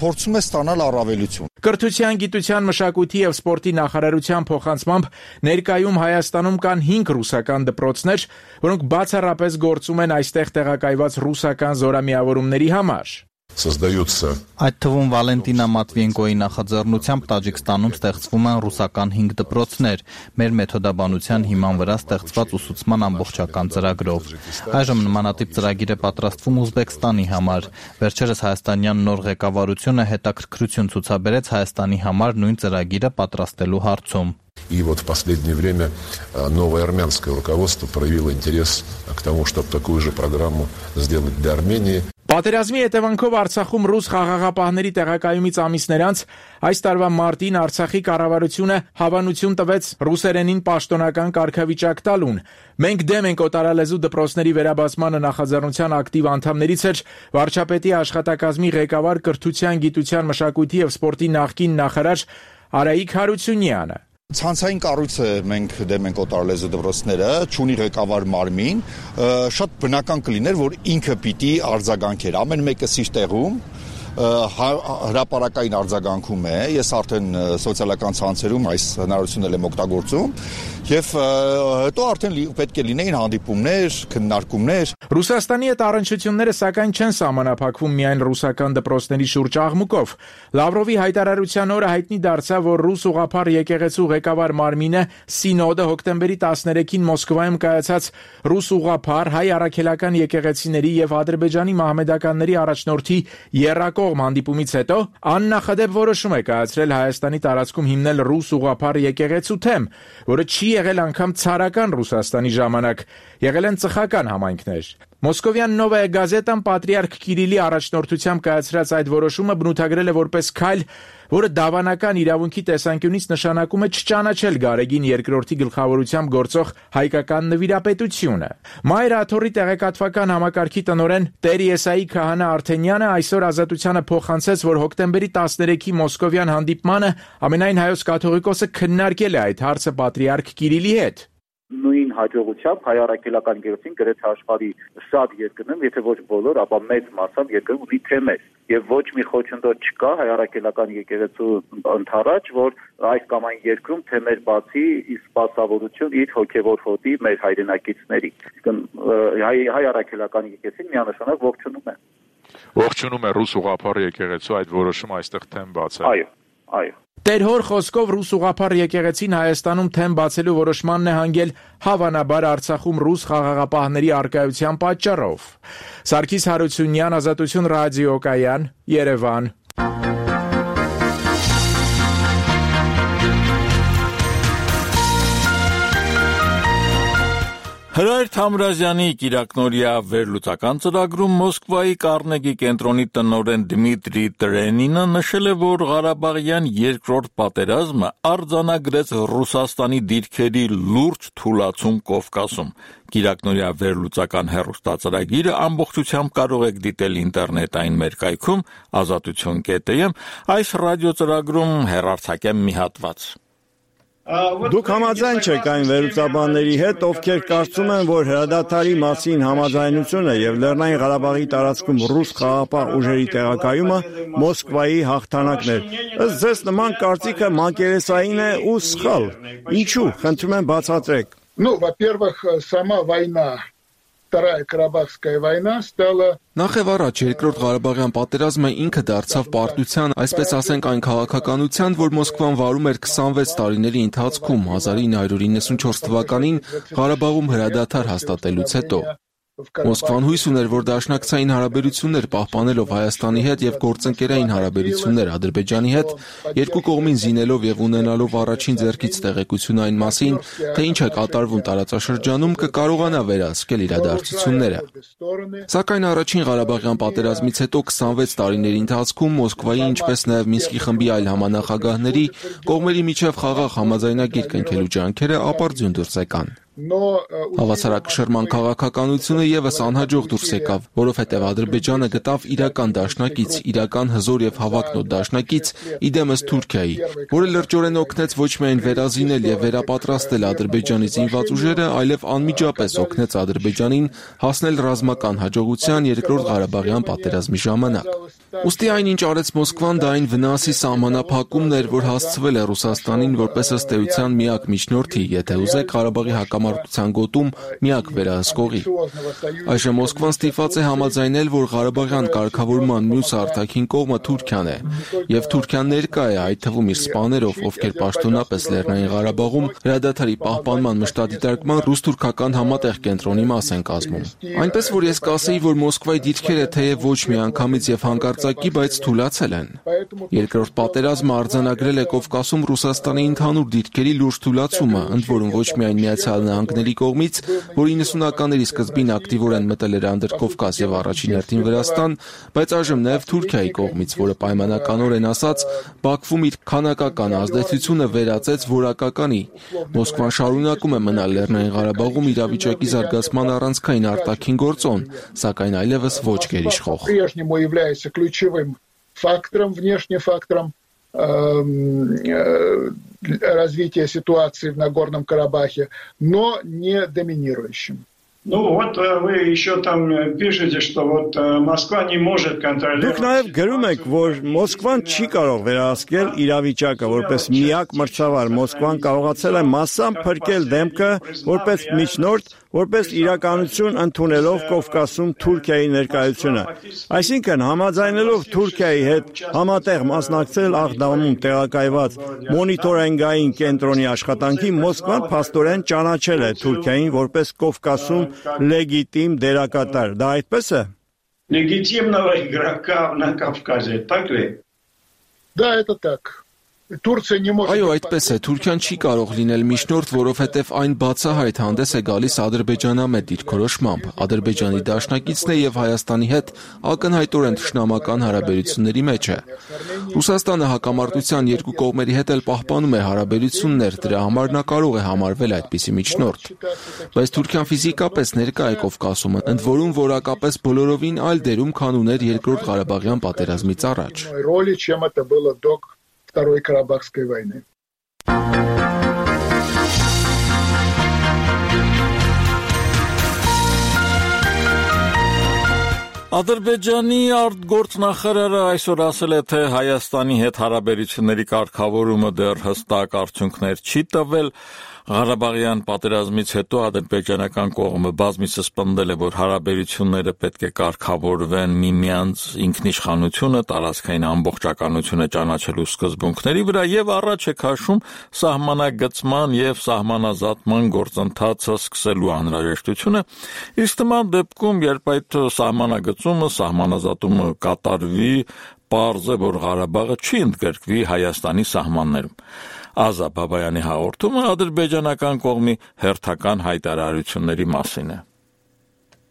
փորձում է ստանալ առավելություն։ Կրթության, գիտության, մշակույթի եւ սպորտի նախարարության փոխանցմամբ ներկայում Հայաստանում կան 5 ռուսական դպրոցներ, որոնք բացառապես գործում են այստեղ տեղակայված ռուսական զորամիավորումների համար։ Այդ թվում Վալենտինա Մատվիենկոյի նախաձեռնությամբ Տաջիկստանում ստեղծվում են ռուսական 5 դպրոցներ, մեր մեթոդաբանության հիման վրա ստեղծված ուսուցման ամբողջական ծրագրով։ Այժմ նմանատիպ ծրագիր է պատրաստվում Ուզբեկստանի համար։ Վերջերս հայաստանյան նոր ղեկավարությունը հետաքրքրություն ցուցաբերեց Հայաստանի համար նույն ծրագիրը պատրաստելու հարցում։ И вот в последнее время новое армянское руководство проявило интерес к тому, чтобы такую же программу сделать для Армении. Պատերազմի հետևանքով Արցախում ռուս խաղաղապահների տեղակայումից ամիսներ անց այս տարվա մարտին Արցախի կառավարությունը հավանություն տվեց ռուսերենին պաշտոնական կարգավիճակ տալուն։ Մենք դեմ ենք օտարալեզու դպրոցների վերաբացմանը նախաձեռնության ակտիվ անդամներից էր վարչապետի աշխատակազմի ղեկավար կրթության, գիտության, մշակույթի եւ սպորտի նախկին նախարար Արայիկ Հարությունյանը։ Ցանցային կառույցը մենք դեմ ենք օտարալեզու դպրոցները, չունի ղեկավար մարմին, շատ բնական կլիներ, որ ինքը պիտի արձագանքեր, ամեն մեկը իր տեղում հրապարակային արձագանքում է, ես արդեն սոցիալական ցանցերում այս հնարավորությունն եմ օգտագործում եւ հետո արդեն պետք է լինեին հանդիպումներ, քննարկումներ։ Ռուսաստանի հետ առնչությունները սակայն չեն սահմանափակվում միայն ռուսական դպրոցների շուրջ աղմուկով։ Լավրովի հայտարարության օրը հայտնի դարձավ, որ ռուս ուղղափառ եկեղեցու ղեկավար մարմինը Սինոդը հոկտեմբերի 13-ին Մոսկվայում կայացած ռուս ուղղափառ հայ առաքելական եկեղեցիների եւ Ադրբեջանի մահմեդականների առաջնորդի եռակողմ հանդիպումից հետո աննախադեպ որոշում է կայացրել Հայաստանի տարածքում հիմնել ռուս ուղղափառ եկեղեցու թեմ, որը չի եղել անգամ ցարական Ռուսաստանի ժամանակ, եղել են ծխական համայնքներ։ Մոսկովյան Նովայա գազետան պատրիարք Կիրիլի առաջնորդությամբ կայացրած այդ որոշումը բնութագրել է որպես քայլ, որը դավանական իրավունքի տեսանկյունից նշանակում է չճանաչել Գարեգին II գլխավորությամբ գործող հայկական նվիրապետությունը։ Մայր աթոռի տեղեկատվական համակարգի տնօրեն Տեր Եսայի Քահանա Արթենյանը այսօր Ազատությանը փոխանցեց, որ հոկտեմբերի 13-ի մոսկովյան հանդիպմանը ամենայն հայոց կաթողիկոսը քննարկել է այդ հարցը պատրիարք Կիրիլի հետ։ նույն հաջողությամբ հայ առաքելական եկեղեցին գրեթե աշխարհի շատ երկրներում, եթե ոչ բոլոր, ապա մեծ մասամբ երկրում ունի թեմեր եւ ոչ մի խոչընդոտ չկա հայ առաքելական եկեղեցու ընդառաջ, որ այս կամ այն երկրում թեմեր բացի ի սպասավորություն իր հոգեվոր հոտի մեր հայրենակիցների։ Հայ առաքելական եկեղեցին միանշանակ ողջունում է ռուս ուղղափառ եկեղեցու այդ որոշումը այստեղ թեմ բացել։ Այո։ Տեր-հոր խոսքով ռուս ուղղափառ եկեղեցին Հայաստանում թեմ բացելու որոշմանն է հանգել հավանաբար Արցախում ռուս խաղաղապահների առկայության պատճառով։ Սարգիս Հարությունյան, Ազատություն ռադիոկայան, Երևան։ Հրայր Թամրազյանի կիրակնօրյա վերլուծական ծրագրում Մոսկվայի Կառնեգի կենտրոնի տնօրեն Դմիտրի Տրենինը նշել է, որ Ղարաբաղյան երկրորդ պատերազմը արձանագրեց Ռուսաստանի դիրքերի լուրջ թուլացում Կովկասում։ Կիրակնօրյա վերլուծական հեռուստածրագիրը ամբողջությամբ կարող եք դիտել ինտերնետային մեր կայքում azatutyon.am, այս ռադիոծրագրում հեռարձակեմ մի հատված։ Դուք համաձայն չեք այն վերլուծաբանների հետ, ովքեր կարծում են, որ հրադադարի մասին համաձայնությունը եւ Լեռնային Ղարաբաղի տարածքում ռուս խաղաղապահ ուժերի տեղակայումը Մոսկվայի հաղթանակն էր։ Ըստ ձեզ նման կարծիքը մակերեսային է ու սխալ։ Ինչու՞, խնդրում եմ բացատրեք։ Во-первых, сама война, Вторая Карабахская война стала Նախ եւ առաջ երկրորդ Ղարաբաղյան պատերազմը ինքը դարձավ պարտության, այսպես ասենք այն քաղաքականության, որ Մոսկվան վարում էր 26 տարիների ընթացքում 1994 թվականին Ղարաբաղում հրադադար հաստատելուց հետո։ Մոսկվան հույս ուներ, որ դաշնակցային հարաբերություններ պահպանելով Հայաստանի հետ եւ գործընկերային հարաբերություններ Ադրբեջանի հետ, երկու կողմին զինելով եւ ունենալով առաջին ձեռքից տեղեկություն այն մասին, թե ինչ է կատարվում տարածաշրջանում, կկարողանա վերահսկել իրադարձությունները։ Սակայն առաջին Ղարաբաղյան պատերազմից հետո 26 տարիների ընթացքում Մոսկվայի, ինչպես նաեւ Մինսկի խմբի այլ համանախագահների կողմերի միջև խաղաղ համաձայնագիր կնքելու ջանքերը ապարդյուն դուրս եկան։ Հավասարակշռման քաղաքականությունը եւս անհաջող դուրս եկավ, որովհետեւ Ադրբեջանը գտավ իրական դաշնակից, իրական հզոր եւ հավակնոտ դաշնակից իդեմս Թուրքիայի, որը լրջորեն օգնեց ոչ միայն վերազինել եւ վերապատրաստել Ադրբեջանի զինված ուժերը, այլև անմիջապես օգնեց Ադրբեջանին հասնել ռազմական հաջողության երկրորդ Ղարաբաղյան պատերազմի ժամանակ։ Ուստի այնինչ արեց Մոսկվան, դա այն վնասի սահմանափակումն էր, որ հասցվել է Ռուսաստանին որպես ըստ էության միակ միջնորդի, եթե ուզեք Ղարաբաղի հակամարտության գոտում միակ վերահսկողի։ Այժմ Մոսկվան ստիպված է համաձայնել, որ Ղարաբաղյան կարգավորման մյուս արտաքին կողմը Թուրքիան է, եւ Թուրքիան ներկա է, այդ թվում իր սպաներով, ովքեր պաշտոնապես Լեռնային Ղարաբաղում հրադադարի պահպանման մշտադիտարկման ռուս-թուրքական համատեղ կենտրոնի մաս են կազմում։ Այնպես որ ես կասեի, որ Մոսկվայի դիրքերը թեև ոչ միանգամից եւ հանկարծակի, բայց թուլացել են։ Երկրորդ պատերազմը արձանագրել է Կովկասում Ռուսաստանի ընդհանուր դիրքերի լուրջ թուլացումը, ընդ որում ոչ միայն Միացյալ Նահանգների կողմից, որ 90-ականների սկզբին ակտիվորեն մտել էր Անդրկովկաս եւ առաջին հերթին Վրաստան, բայց այժմ նաեւ Թուրքիայի կողմից, որը պայմանականորեն ասած Բաքվում իր քանակական ազդեցությունը վերածեց որակականի։ Մոսկվան շարունակում է մնալ Լեռնային Ղարաբաղում իրավիճակի զարգացման առանցքային արտաքին գործոն, сакայն այլևս ոչ գերիշխող։ Ключевым фактором, внешним фактором развития ситуации в Нагорном Карабахе, но не доминирующим. Вот вы еще там пишете, что вот Москва не может контролировать. Դուք նաև գրում եք, որ Մոսկվան չի կարող վերահսկել իրավիճակը, որպես միակ մրցավար Մոսկվան կարողացել է մասամբ փրկել դեմքը որպես միջնորդ, որպես իրականություն ընդունելով Կովկասում Թուրքիայի ներկայությունը։ Այսինքն համաձայնելով Թուրքիայի հետ համատեղ մասնակցել Աղդամում տեղակայված մոնիտորինգային կենտրոնի աշխատանքի, Մոսկվան փաստորեն ճանաչել է Թուրքիային որպես Կովկասում լեգիտիմ դերակատար։ Դա այդպես է։ Легитимного игрока на Кавказе, так ли? Да, это так. Турция не может. Այո, այդպես է, Թուրքիան չի կարող լինել միջնորդ, որովհետև այն բացահայտ հանդես է գալիս ադրբեջանամետ դիրքորոշմամբ։ Ադրբեջանի դաշնակիցն է եւ Հայաստանի հետ ակնհայտորեն թշնամական հարաբերությունների մեջ է։ Ռուսաստանը հակամարտության երկու կողմերի հետ էլ պահպանում է հարաբերություններ, դրա համար նա կարող է համարվել այդպիսի միջնորդ։ Բայց Թուրքիան ֆիզիկապես ներկա է Կովկասում, ընդ որում որակապես բոլորովին այլ դերում, քան ուներ երկրորդ Ղարաբաղյան պատերազմից առաջ։ Роли, чем это было до Второй Карабахской войны. Ադրբեջանի արտգործնախարարը այսօր ասել է, թե Հայաստանի հետ հարաբերությունների կարգավորումը դեռ հստակ արդյունքներ չի տվել։ Ղարաբաղյան պատերազմից հետո ադրբեջանական կողմը բազմիցս պնդել է, որ հարաբերությունները պետք է կարգավորվեն միմյանց ինքնիշխանությունը, տարածքային ամբողջականությունը ճանաչելու սկզբունքների վրա եւ առաջ է քաշում սահմանագծման եւ սահմանազատման գործընթացը սկսելու անհրաժեշտությունը, իսկ նման դեպքում, երբ այդ սահմանագծումը, սահմանազատումը կատարվի, պարզ է, որ Ղարաբաղը չի ընդգրկվի Հայաստանի սահմաններում։ Ազա Բաբայանի հաղորդումը ադրբեջանական կողմի հերթական հայտարարությունների մասին է։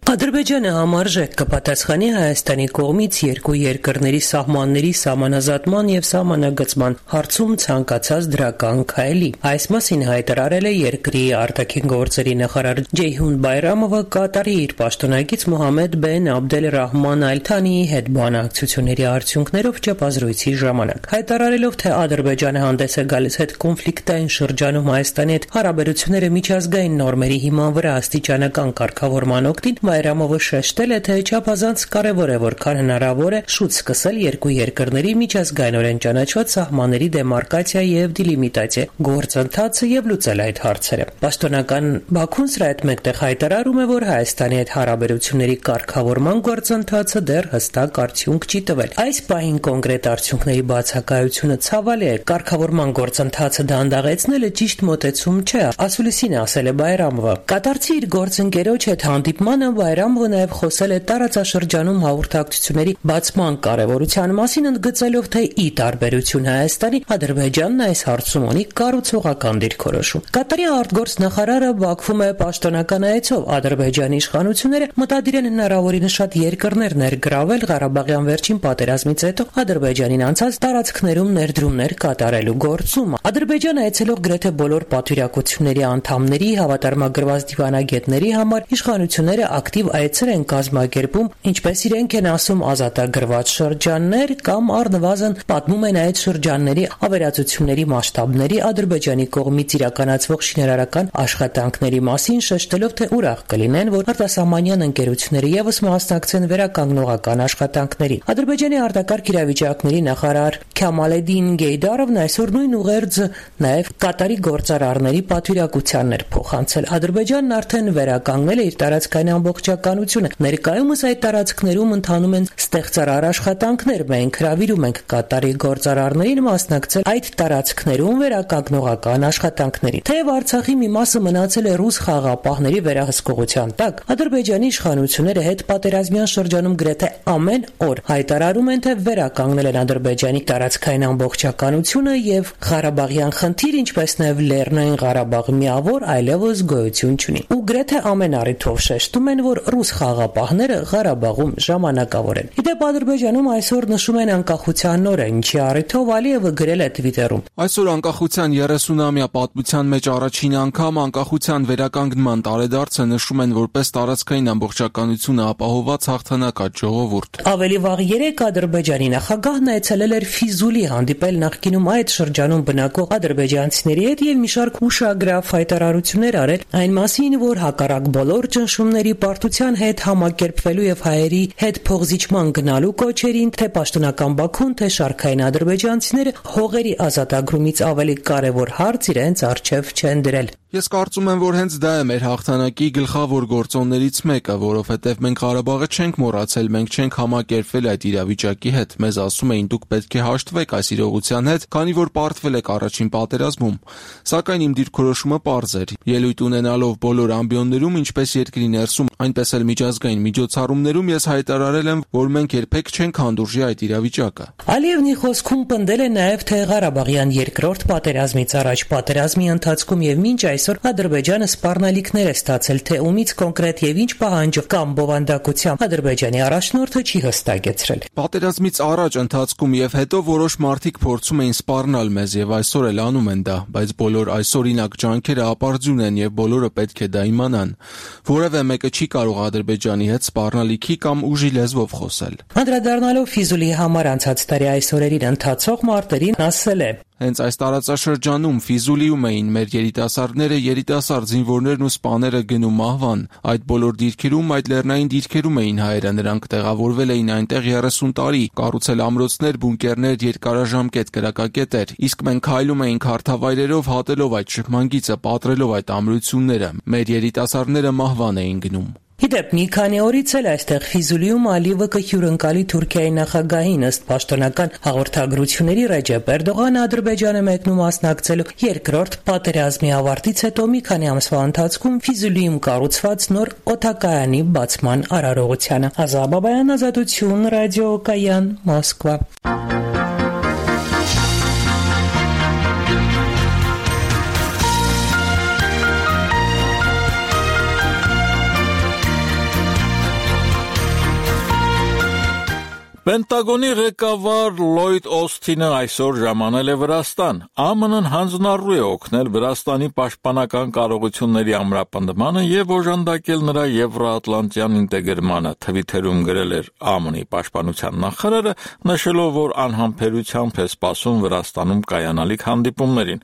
Ադրբեջանը համարժեք կպատասխանի Հայաստանի կողմից երկու երկրների սահմանների սահմանազատման եւ սահմանագծման հարցում ցանկացած դրական քայլի։ Այս մասին հայտարարել է երկրի արտաքին գործերի նախարար Ջեյհուն Բայրամովը Կատարի իր պաշտոնակից Մոհամմեդ բեն Աբդել Ռահման Ալ Թանիի հետ բանակցությունների արդյունքներով ճեպազրույցի ժամանակ։ Հայտարարելով, թե Ադրբեջանը հանդես է գալիս հետ կոնֆլիկտային շրջանում Հայաստանի հետ հարաբերությունները միջազգային նորմերի հիման վրա աստիճանական կարգավորման օգտին, Բայրամովը շեշտել է, թե չափազանց կարևոր է, որքան հնարավոր է շուտ սկսել երկու երկրների միջազգայինորեն ճանաչված սահմանների դեմարկացիա եւ դիլիմիտացիա գործընթացը եւ լուծել այդ հարցերը։ Պաշտոնական Բաքուն սրա հետ մեկտեղ հայտարարում է, որ Հայաստանի հետ հարաբերությունների կարգավորման գործընթացը դեռ հստակ արդյունք չի տվել։ Այս պահին կոնկրետ արդյունքների բացակայությունը ցավալի է։ Կարգավորման գործընթացը դանդաղեցնելը ճիշտ մոտեցում չէ, ասուլիսին ասել է Բայրամովը։ Կատարցի իր գործընկերոջ հետ հանդիպմանը Բայրամովը նաև խոսել է տարածաշրջանում հաղորդակցությունների բացման կարևորության մասին, ընդգծելով, թե ի տարբերություն Հայաստանի, Ադրբեջանն այս հարցում ունի կառուցողական դիրքորոշում։ Կատարի արտգործնախարարը Բաքվում է պաշտոնական այցով։ Ադրբեջանի իշխանությունները մտադիր են հնարավորինս շատ երկրներ ներգրավել Ղարաբաղյան վերջին պատերազմից հետո Ադրբեջանին անցած տարածքներում ներդրումներ կատարելու գործում։ Ադրբեջանը այցելող գրեթե բոլոր պատվիրակությունների անդամների, հավատարմագրված դիվանագետների համար իշխանությունները ակտիվ այցեր են կազմակերպում, ինչպես իրենք են ասում, ազատագրված շրջաններ կամ առնվազն պատմում են այդ շրջանների ավերածությունների մասշտաբների Ադրբեջանի կողմից իրականացվող շինարարական աշխատանքների մասին, շեշտելով, թե ուրախ կլինեն, որ արտասահմանյան ընկերությունները եւս մասնակցեն վերականգնողական աշխատանքների։ Ադրբեջանի արտակարգ իրավիճակների նախարար Քամալեդին Գեյդարովն այսօր նույն ուղերձ նաև Կատարի գործարարների պատվիրակությանն էր փոխանցել։ Ադրբեջանն արդեն վերականգնել է իր տարածքային ամբողջականությունը։ Ներկայումս այդ տարածքներում ընթանում են ստեղծարար աշխատանքներ։ Մենք հրավիրում ենք Կատարի գործարարներին մասնակցել այդ տարածքներում վերականգնողական աշխատանքների։ Թեև Արցախի մի մասը մնացել է ռուս խաղաղապահների վերահսկողության տակ, Ադրբեջանի իշխանությունները հետ պատերազմյան շրջանում գրեթե ամեն օր հայտարարում են, թե վերականգնել են Ադրբեջանի տարածքային ամբողջականությունը եւ Ղարաբաղյան խնդիր, ինչպես նաեւ Լեռնային Ղարաբաղ միավոր այլևս գոյություն չունի։ Ու գրեթե ամեն առիթով շեշտում են, որ ռուս խաղաղապահները Ղարաբաղում ժամանակավոր են։ Իդեպ Ադրբեջանում այսօր նշում են անկախության օրը, ինչի առիթով Ալիևը գրել է Twitter-ում. Այսօր անկախության 30-ամյա պատմության մեջ առաջին անգամ անկախության վերականգնման տարեդարձը նշում են որպես տարածքային ամբողջականությունը ապահովված հաղթանակած ժողովուրդ։ Ավելի վաղ 3 Ադրբեջանի նախագահն այցելել էր Ֆիզուլի, հանդիպել նախկինում այդ շրջանում բնակվող ադրբեջանցիների հետ եւ մի շարք ուշագրավ հայտարարություններ արել այն մասին, որ հակառակ բոլոր ճնշումների պարտության հետ համակերպվելու եւ հայերի հետ փողզիջման գնալու կոչերին, թե պաշտոնական Բաքուն, թե շարքային ադրբեջանցիները հողերի ազատագրումից ավելի կարևոր հարց իրենց առջև չեն դրել։ Ես կարծում եմ, որ հենց դա է մեր հաղթանակի գլխավոր գործոններից մեկը, որովհետև մենք Ղարաբաղը չենք մոռացել, մենք չենք համակերպվել այդ իրավիճակի հետ։ Մեզ ասում էին դուք պետք է հաշտվեք այս իրողության հետ, քանի որ պարտվել եք առաջին պատերազմում։ Սակայն իմ դիրքորոշումը պարզ էր։ Ելույթ ունենալով բոլոր ամբիոններում, ինչպես երկրի ներսում, այնպես էլ միջազգային միջոցառումներում ես հայտարարել եմ, որ մենք երբեք չենք հանդուրժի այդ իրավիճակը։ Ալիևնի խոսքում պնդել է նաև, թե Ղարաբաղյան երկրորդ պատերազմից առաջ պատերազմի ընթացքում եւ մինչ այսօր Ադրբեջանը սպառնալիքներ է ստացել, թե ումից կոնկրետ եւ ինչ պահանջով կամ բովանդակությամբ Ադրբեջանի առաջնորդը չի հստակեցրել։ Պատերազմից առաջ, ընթացքում եւ հետո որոշ մարդիկ փորձում էին սպառնալ մեզ եւ այսօր էլ անում են դա, բայց բոլոր այսօրինակ ջանքերը ապարդյուն են եւ բոլորը պետք է դա իմանան։ Որևէ մեկը չի կարող Ադրբեջանի հետ սպառնալիքի կամ ուժի լեզվով խոսել։ Անդրադառնալով Ֆիզուլի համար անցած տարի այս օրերին ընթացող մարտերին ասել է. Հենց այս տարածաշրջանում Ֆիզուլիում էին մեր երիտասարդները, երիտասարդ զինվորներն ու սպաները գնում մահվան։ Այդ բոլոր դիրքերում, այդ լեռնային դիրքերում էին հայերը, նրանք տեղավորվել էին այնտեղ 30 տարի, կառուցել ամրոցներ, բունկերներ, երկարաժամկետ կրակակետեր, իսկ մենք քայլում էինք հարթավայրերով, հատելով այդ շփման գիծը, պատռելով այդ ամրությունները։ Մեր երիտասարդները մահվան էին գնում։ Իդեպ մի քանի օրից էլ այստեղ Ֆիզուլիում Ալիևը կհյուրընկալի Թուրքիայի նախագահին ըստ պաշտոնական հաղորդագրությունների Ռեջեփ Էրդողանը Ադրբեջանը մեկնում մասնակցելու երկրորդ պատերազմի ավարտից հետո մի քանի ամսվա ընթացքում Ֆիզուլիում կառուցված նոր օդակայանի բացման արարողությանը։ Ազա Բաբայան, Ազատություն, ռադիոկայան, Մոսկվա։ Պենտագոնի ղեկավար Լոյդ Օսթինը այսօր ժամանել է Վրաստան։ ԱՄՆ-ն հանձնառու է օգնել Վրաստանի պաշտպանական կարողությունների ամրապնդմանը եւ օժանդակել նրա եվրոատլանտյան ինտեգրմանը, թվիթերում գրել էր ԱՄՆ-ի պաշտպանության նախարարը, նշելով, որ անհամբերությամբ է սպասում Վրաստանում կայանալիք հանդիպումներին։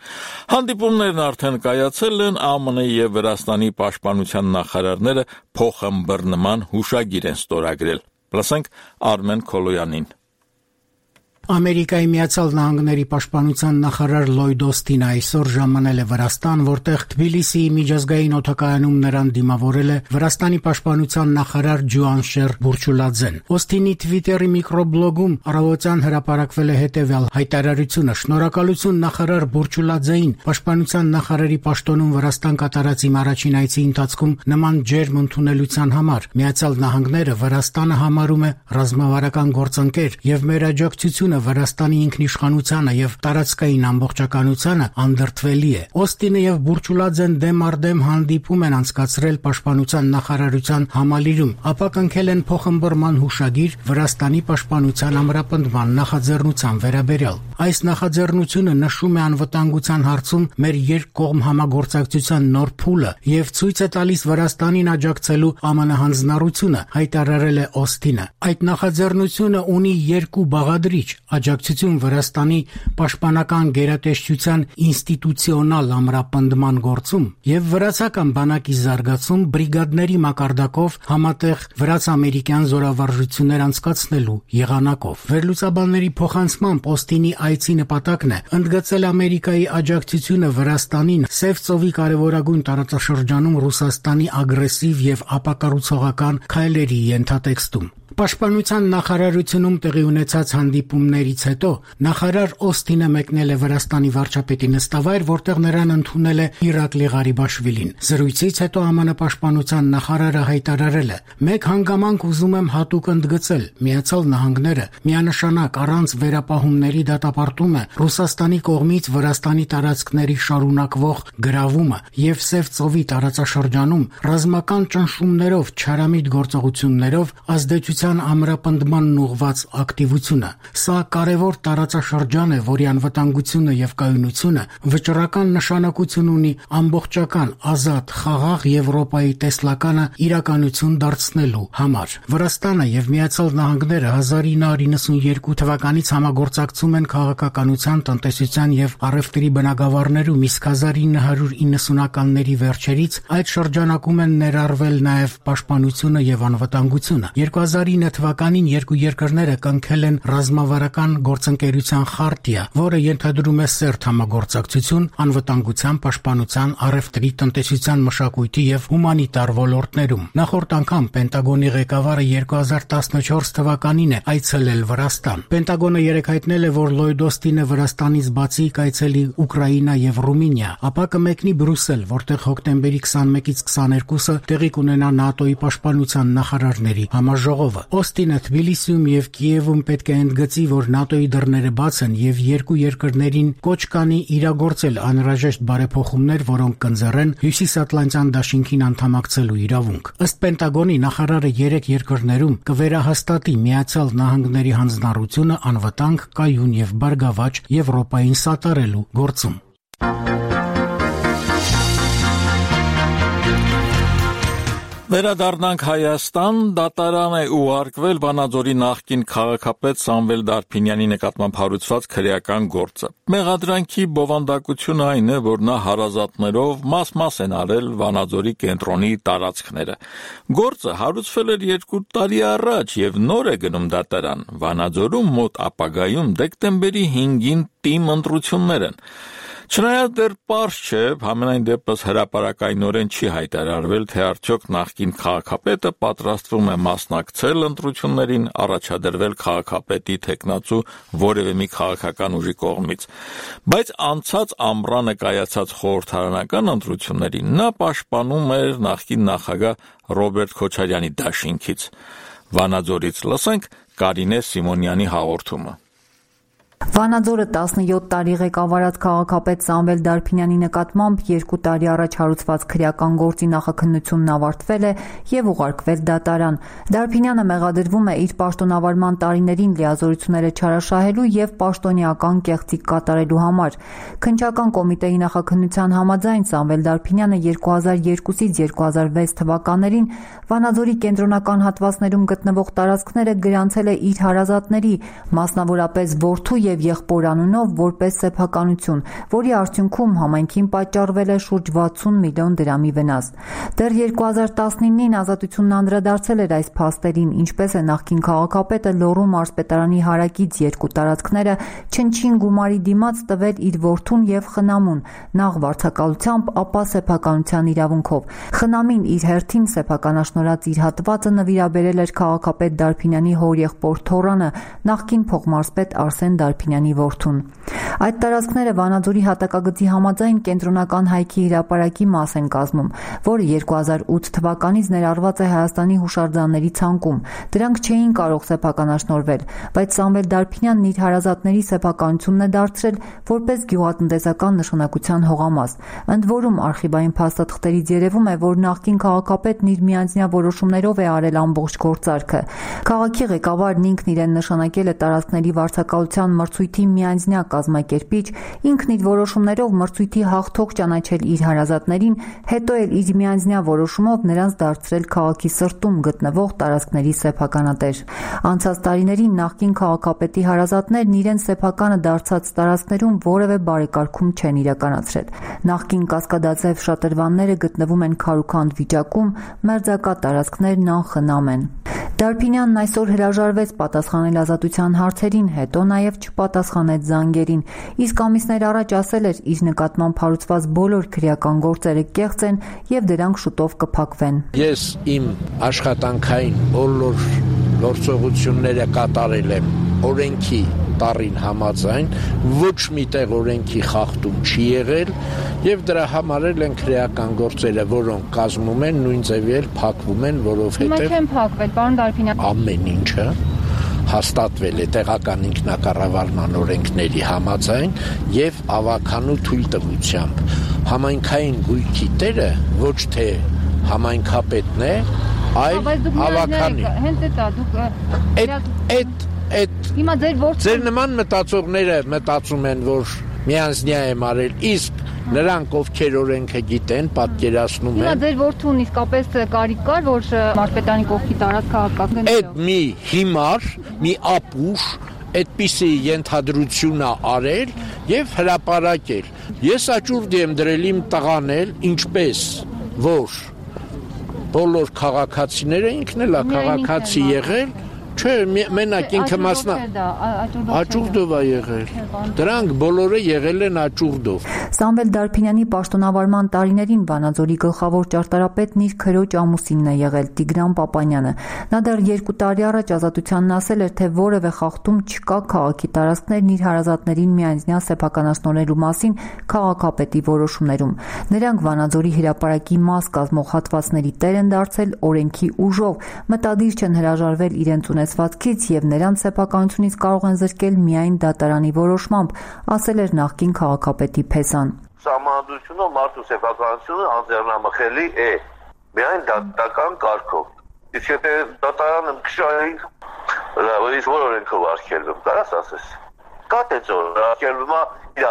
Հանդիպումներն արդեն կայացել են, ԱՄՆ-ի եւ Վրաստանի պաշտպանության նախարարները փոխըմբռնման հուշագիր են ստորագրել։ Լսենք Արմեն Քոլոյանին։ Ամերիկայի Միացյալ Նահանգների պաշտպանության նախարար Լոյդ Օսթինը այսօր ժամանել է Վրաստան, որտեղ Թբիլիսիի միջազգային օդակայանում նրան դիմավորել է Վրաստանի պաշտպանության նախարար Ջուանշեր Բուրչուլաձեն։ Օսթինի Twitter-ի միկրոբլոգում առավոտյան հրապարակվել է հետևյալ հայտարարությունը. «Շնորհակալություն նախարար Բուրչուլաձեին, պաշտպանության նախարարի պաշտոնում Վրաստան կատարած իմ առաջին այցի ընթացքում նման ջերմ ընդունելության համար։ Միացյալ Նահանգները Վրաստանը համարում է ռազմավարական գործընկեր եւ մեր աջակցությունը Վրաստանի ինքնիշխանությանը եւ տարածքային ամբողջականությանը անդրդվելի է»։ Օսթինը եւ Բուրչուլաձեն դեմ առ դեմ հանդիպում են անցկացրել պաշտպանության նախարարության համալիրում, ապա կնքել են փոխըմբռնման հուշագիր Վրաստանի պաշտպանության ամրապնդման նախաձեռնության վերաբերյալ։ Այս նախաձեռնությունը նշում է անվտանգության հարցում մեր երկկողմ համագործակցության նոր փուլը եւ ցույց է տալիս Վրաստանին աջակցելու ԱՄՆ հանձնառությունը, հայտարարել է Օսթինը։ Այդ նախաձեռնությունը ունի երկու բաղադրիչ՝ աջակցություն Վրաստանի պաշտպանական գերատեսչության ինստիտուցիոնալ ամրապնդման գործում եւ վրացական բանակի զարգացում բրիգադների մակարդակով համատեղ վրաց-ամերիկյան զորավարժություններ անցկացնելու եղանակով։ Վերլուծաբանների փոխանցմամբ Օսթինի այցի նպատակն է ընդգծել Ամերիկայի աջակցությունը Վրաստանին Սև ծովի կարևորագույն տարածաշրջանում Ռուսաստանի ագրեսիվ եւ ապակառուցողական քայլերի ենթատեքստում։ Պաշտպանության նախարարությունում տեղի ունեցած հանդիպումներից հետո նախարար Օսթինը մեկնել է Վրաստանի վարչապետի նստավայր, որտեղ նրան ընդունել է Իրակլի Ղարիբաշվիլին։ Զրույցից հետո ԱՄՆ պաշտպանության նախարարը հայտարարել է. «Մեկ հանգամանք ուզում եմ հատուկ ընդգծել. Միացյալ Նահանգները միանշանակ առանց վերապահումների դատապարտում է Ռուսաստանի կողմից Վրաստանի տարածքների շարունակվող գրավումը եւ Սև ծովի տարածաշրջանում ռազմական ճնշումներով, չարամիտ գործողություններով ազդեցության ամրապնդմանն ուղղված ակտիվությունը։ Սա կարևոր տարածաշրջան է, որի անվտանգությունը եւ կայունությունը վճռական նշանակություն ունի ամբողջական, ազատ, խաղաղ Եվրոպայի տեսլականը իրականություն դարձնելու համար։ Վրաստանը եւ Միացյալ Նահանգները 1992 թվականից համագործակցում են քաղաքականության, տնտեսության եւ առևտրի բնագավառներում, իսկ 1990-ականների վերջերից այդ շրջանակում են ներառվել նաեւ պաշտպանությունը եւ անվտանգությունը։ 2009 թվականին երկու երկրները կնքել են ռազմավարական գործընկերության խարտիա, որը ենթադրում է սերտ համագործակցություն անվտանգության, պաշտպանության, առևտրի, տնտեսության, մշակույթի եւ հումանիտար ոլորտներում։ Նախորդ անգամ Պենտագոնի ղեկավարը 2014 թվականին է այցելել Վրաստան։ Պենտագոնը երեկ հայտնել է, որ Լոյդ Օսթինը Վրաստանից բացի կայցելի Ուկրաինա եւ Ռումինիա, ապա կմեկնի Բրյուսել, որտեղ հոկտեմբերի 21-ից 22-ը տեղի կունենա ՆԱՏՕ-ի պաշտպանության նախարարների համաժողովը։ Օսթինը Թբիլիսիում եւ Կիևում պետք է ընդգծի, որ ՆԱՏՕ-ի դռները բաց են եւ երկու երկրներին կոչ կանի իրագործել անհրաժեշտ բարեփոխումներ, որոնք կընձեռեն Հյուսիսատլանտյան դաշինքին անդամակցելու իրավունք։ Ըստ Պենտագոնի նախարարը երեք երկրներում կվերահաստատի Միացյալ Նահանգների հանձնառությունը անվտանգ, կայուն եւ բարգավաճ Եվրոպային սատարելու գործում։ Վերադառնանք Հայաստան, դատարան է ուղարկվել Վանաձորի նախկին քաղաքապետ Սամվել Դարփինյանի նկատմամբ հարուցված քրեական գործը։ Մեղադրանքի բովանդակությունը այն է, որ նա հարազատներով մաս-մաս են արել Վանաձորի կենտրոնի տարածքները։ Գործը հարուցվել էր 2 տարի առաջ եւ նոր է գնում դատարան։ Վանաձորում մոտ ապագայում դեկտեմբերի 5-ին տիմ ընտրություններ են։ Չնայած դեռ պարզ չէ, համենայն դեպս հրապարակայնորեն չի հայտարարվել, թե արդյոք նախկին քաղաքապետը պատրաստվում է մասնակցել ընտրություններին, առաջադրվել քաղաքապետի թեկնածու որևէ մի քաղաքական ուժի կողմից, բայց անցած ամռանը կայացած խորհրդարանական ընտրություններին նա պաշտպանում էր նախկին նախագահ Ռոբերտ Քոչարյանի դաշինքից։ Վանաձորից լսենք Կարինե Սիմոնյանի հաղորդումը։ Վանաձորը 17 տարի ղեկավարած քաղաքապետ Սամվել Դարփինյանի նկատմամբ 2 տարի առաջ հարուցված քրեական գործի նախաքննությունն ավարտվել է եւ ուղարկվել դատարան։ Դարփինյանը մեղադրվում է իր պաշտոնավարման տարիներին լիազորությունները չարաշահելու եւ պաշտոնեական կեղծիք կատարելու համար։ Քննչական կոմիտեի նախաքննության համաձայն Սամվել Դարփինյանը 2002-ից 2006 թվականներին Վանաձորի կենտրոնական հատվածներում գտնվող տարածքները գրանցել է իր հարազատների, մասնավորապես որդու եւ եղբոր անունով որպես սեփականություն, որի արդյունքում համայնքին պատճառվել է շուրջ 60 միլիոն դրամի վնաս։ Դեռ 2019-ին Ազատությունն անդրադարձել էր այս փաստերին, ինչպես է նախկին քաղաքապետը Լոռու մարզպետարանի հարակից 2 տարածքները չնչին գումարի դիմաց տվել իր որդուն եւ խնամուն, նախ վարձակալությամբ, ապա սեփականության իրավունքով։ Խնամին իր հերթին սեփականաշնորհած իր հատվածը նվիրաբերել էր քաղաքապետ Դարփինյանի հորեղբոր Թորանը, նախկին փոխմարզպետ Արսեն Դարփինյանի որդուն։ Այդ տարածքները Վանաձորի հատակագծի համաձայն կենտրոնական հայքի հրապարակի մաս են կազմում, որը 2008 թվականից ներառված է Հայաստանի հուշարձանների ցանկում։ Դրանք չէին կարող սեփականաշնորհվել, բայց Սամվել Դարփինյանն իր հարազատների սեփականությունն է դարձրել որպես գյուղատնտեսական նշանակության հողամաս։ Ընդ որում արխիվային փաստաթղթերից երևում է, որ նախկին քաղաքապետն իր միանձնյա որոշումներով է արել ամբողջ գործարքը։ Քաղաքի ղեկավարն ինքն իրեն նշանակել է տարածքների վարձակալության մրցույթի միանձնյա կազմակերպիչ, ինքն իր որոշումներով մրցույթի հաղթող ճանաչել իր հարազատներին, հետո էլ իր միանձնյա որոշումով նրանց դարձրել քաղաքի սրտում գտնվող տարածքների սեփականատեր։ Անցած տարիներին նախկին քաղաքապետի հարազատներն իրեն սեփականը դարձած տարածքներում որևէ բարեկարգում չեն իրականացրել։ Նախկին կասկադաձև շատրվանները գտնվում են քարուքանդ վիճակում, մերձակա տարածքներն անխնամ են։ Դարփինյանն այսօր հրաժարվեց պատասխանել ազատության հարցերին, հետո նաև չպատասխանեց զանգերին, իսկ ամիսներ առաջ ասել էր իր նկատմամբ հարուցված բոլոր քրեական գործերը կեղծ են եւ դրանք շուտով կփակվեն։ Ես իմ աշխատանքային բոլոր գործողությունները կատարել եմ օրենքի տառին համաձայն, ոչ միտեղ օրենքի խախտում չի եղել եւ դրա համար էլ են քրեական գործերը, որոնք կազմում են, նույն ձևի էլ փակվում են, որովհետեւ Հիմա չեն փակվել, պարոն Դարփինյան։ Ամեն ինչը հաստատվել է տեղական ինքնակառավարման օրենքների համաձայն եւ ավականու թույլտվությամբ։ Հիմայնքային գույքի տերը ոչ թե համայնքապետն է, այլ ավականի։ Հենց դա դուք Հիմա ձեր նման մտածողները մտածում են, որ միանձնյա եմ արել, իսկ նրանք ովքեր օրենքը գիտեն, պատկերացնում են։ Հիմա ձեր որդուն իսկապես կարիք կար, որ մարզպետարանի կողքի տարածք քաղաքական։ Այդ մի հիմար, մի ապուշ այդպիսի ենթադրություն է արել եւ հրապարակել։ Ես աճուրդ եմ դրել իմ տղան էլ, ինչպես որ բոլոր քաղաքացիները, ինքն էլ է քաղաքացի եղել, չէ, մենակ ինքը աճուրդով է եղել։ Դրանք բոլորը եղել են աճուրդով։ Սամվել Դարփինյանի պաշտոնավարման տարիներին Վանաձորի գլխավոր ճարտարապետն իր քրոջ ամուսինն է եղել Տիգրան Պապանյանը։ Նա դեռ 2 տարի առաջ Ազատությանն ասել էր, թե որևէ խախտում չկա քաղաքի տարածքներն իր հարազատներին միանձնյա սեփականաշնորհելու մասին քաղաքապետի որոշումներում։ Նրանք Վանաձորի հրապարակի մաս կազմող հատվածների տեր են դարձել օրենքի ուժով, մտադիր չեն հրաժարվել իրենց ունեցվածքից եւ նրանց սեփականությունից կարող են զրկել միայն դատարանի որոշմամբ, ասել էր նախկին քաղաքապետի փեսան։ Սահմանադրությունը մարդու սեփականությունը անձեռնամխելի է միայն դատական կարգով։ Իսկ եթե դատարանը քշային, լավից որ օրենքով արգելվում, կարաս ասես։ Կա թե ծոր արգելվում է իր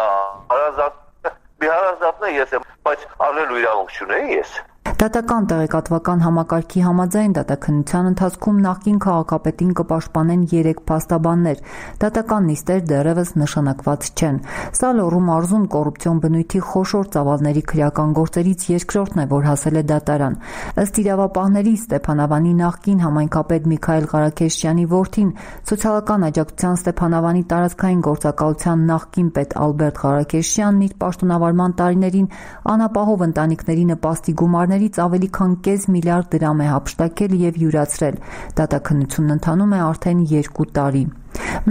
հարազատն է, ես եմ, բայց առնելու իրավունք չունեի ես։ Դատական տեղեկատվական համակարգի համաձայն դատաքննության ընթացքում նախկին քաղաքապետին կպաշտպանեն 3 փաստաբաններ։ Դատական նիստեր դեռևս նշանակված չեն։ Սա Լոռու մարզում կոռուպցիոն բնույթի խոշոր ծավալների քրեական գործերից երկրորդն է, որ հասել է դատարան։ Ըստ իրավապահների Ստեփանավանի նախկին համայնքապետ Միքայել Ղարաքեշյանի որդին, սոցիալական աջակցության Ստեփանավանի տարածքային գործակալության նախկին պետ Ալբերտ Ղարաքեշյանն իր պաշտոնավարման տարիներին անապահով ընտանիքների նպաստի գումարներից ավելի քան կես միլիարդ դրամ է հափշտակել եւ յուրացրել։ Դատաքննությունն ընթանում է արդեն 2 տարի։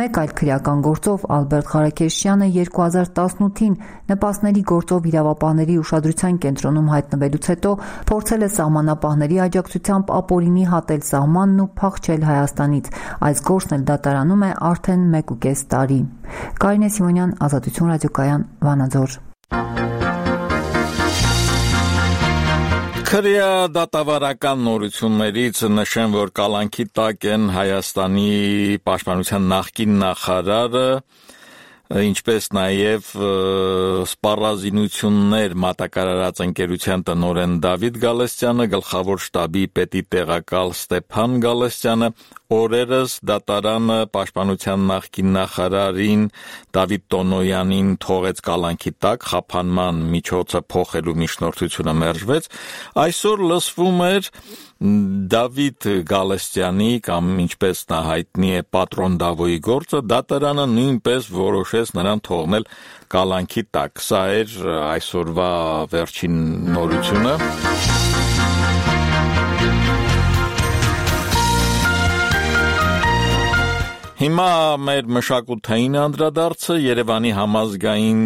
Մեկ այլ քրեական գործով Ալբերտ Ղարաքեշյանը 2018-ին նպաստների գործով իրավապահների ուշադրության կենտրոնում հայտնվելուց հետո փորձել է սահմանապահների աջակցությամբ ապօրինի հատել սահմանն ու փախչել Հայաստանից։ Այս գործն էլ դատարանում է արդեն 1.5 տարի։ Կարինե Սիմոնյան, Ազատություն ռադիոկայան, Վանաձոր։ Քրեադատավարական նորություններից նշեմ, որ կալանքի տակ են Հայաստանի պաշտպանության նախկին նախարարը, ինչպես նաև սպառազինություններ մատակարարած ընկերության տնօրեն Դավիթ Գալստյանը, գլխավոր շտաբի պետի տեղակալ Ստեփան Գալստյանը, օրերս դատարանը պաշտպանության նախկին նախարարին Դավիթ Տոնոյանին թողեց կալանքի տակ, խափանման միջոցը փոխելու միջնորդությունը մերժվեց։ Այսօր լսվում էր Դավիթ Գալստյանի կամ ինչպես նա հայտնի է Պատրոն Դավոյի գործը, դատարանը նույնպես որոշեց նրան թողնել կալանքի տակ։ Սա էր այսօրվա վերջին նորությունը։ Հիմա մեր մշակութային անդրադարձը Երևանի համազգային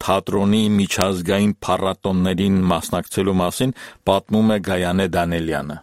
թատրոնի միջազգային փառատոններին մասնակցելու մասին պատմում է Գայանե Դանելյանը։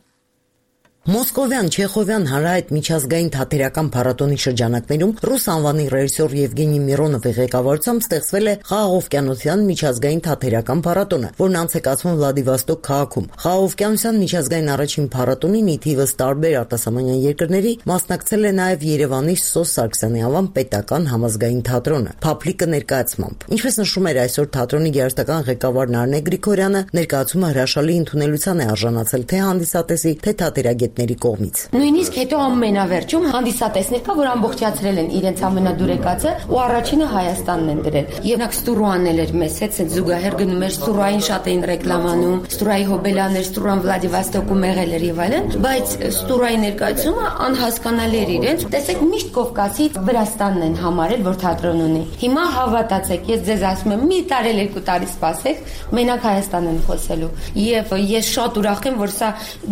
Մոսկովյան Չեխովյան հանրահայտ միջազգային թատերական փառատոնի շրջանակներում ռուս անվանի ռեժիսոր Եվգենի Միրոնովի ղեկավարությամբ ստեղծվել է Խաղաղօվկիանոսյան միջազգային թատերական փառատոնը, որն անց է կացվում Վլադիվոստոկ քաղաքում։ Խաղաղօվկիանոսյան միջազգային առաջին փառատոնին ի թիվս տարբեր արտասահմանյան երկրների մասնակցել է նաև Երևանի Սոս Սարգսյանի անվան պետական համազգային թատրոնը, Փափլիկը ներկայացմամբ։ Ինչպես նշում էր այսօր թատրոնի գերստական ղեկավար Նարնե Գրիգորյանը, ներկայացումը հրաշալի ընդունելության է արժանացել թե հանդիսատեսի, թե թատերագետների կողմից։ Նույնիսկ հետո ամենավերջում հանդիսատեսներ կա, որ ամբողջացրել են իրենց ամենադուրեկացը ու առաջինը Հայաստանն են դրել։ Եվ նա Ստուրուանն էր մեզ հետ զուգահեռ գնում էր, Ստուրային շատ էին ռեկլամանում, Ստուրայի հոբելաներ, Ստուրան Վլադիվոստոկում եղել էր եւ այլն, բայց Ստուրայի ներկայացումը անհասկանալի էր իրենց։ Տեսեք, միշտ Կովկասից Վրաստանն են համարել, որ թատրոն ունի։ Հիմա հավատացեք, ես ձեզ ասում եմ, մի տարել 2 տարի սպասեք, մենակ Հայաստան են խոսելու։ Եվ ես շատ ուրախ եմ, որ սա,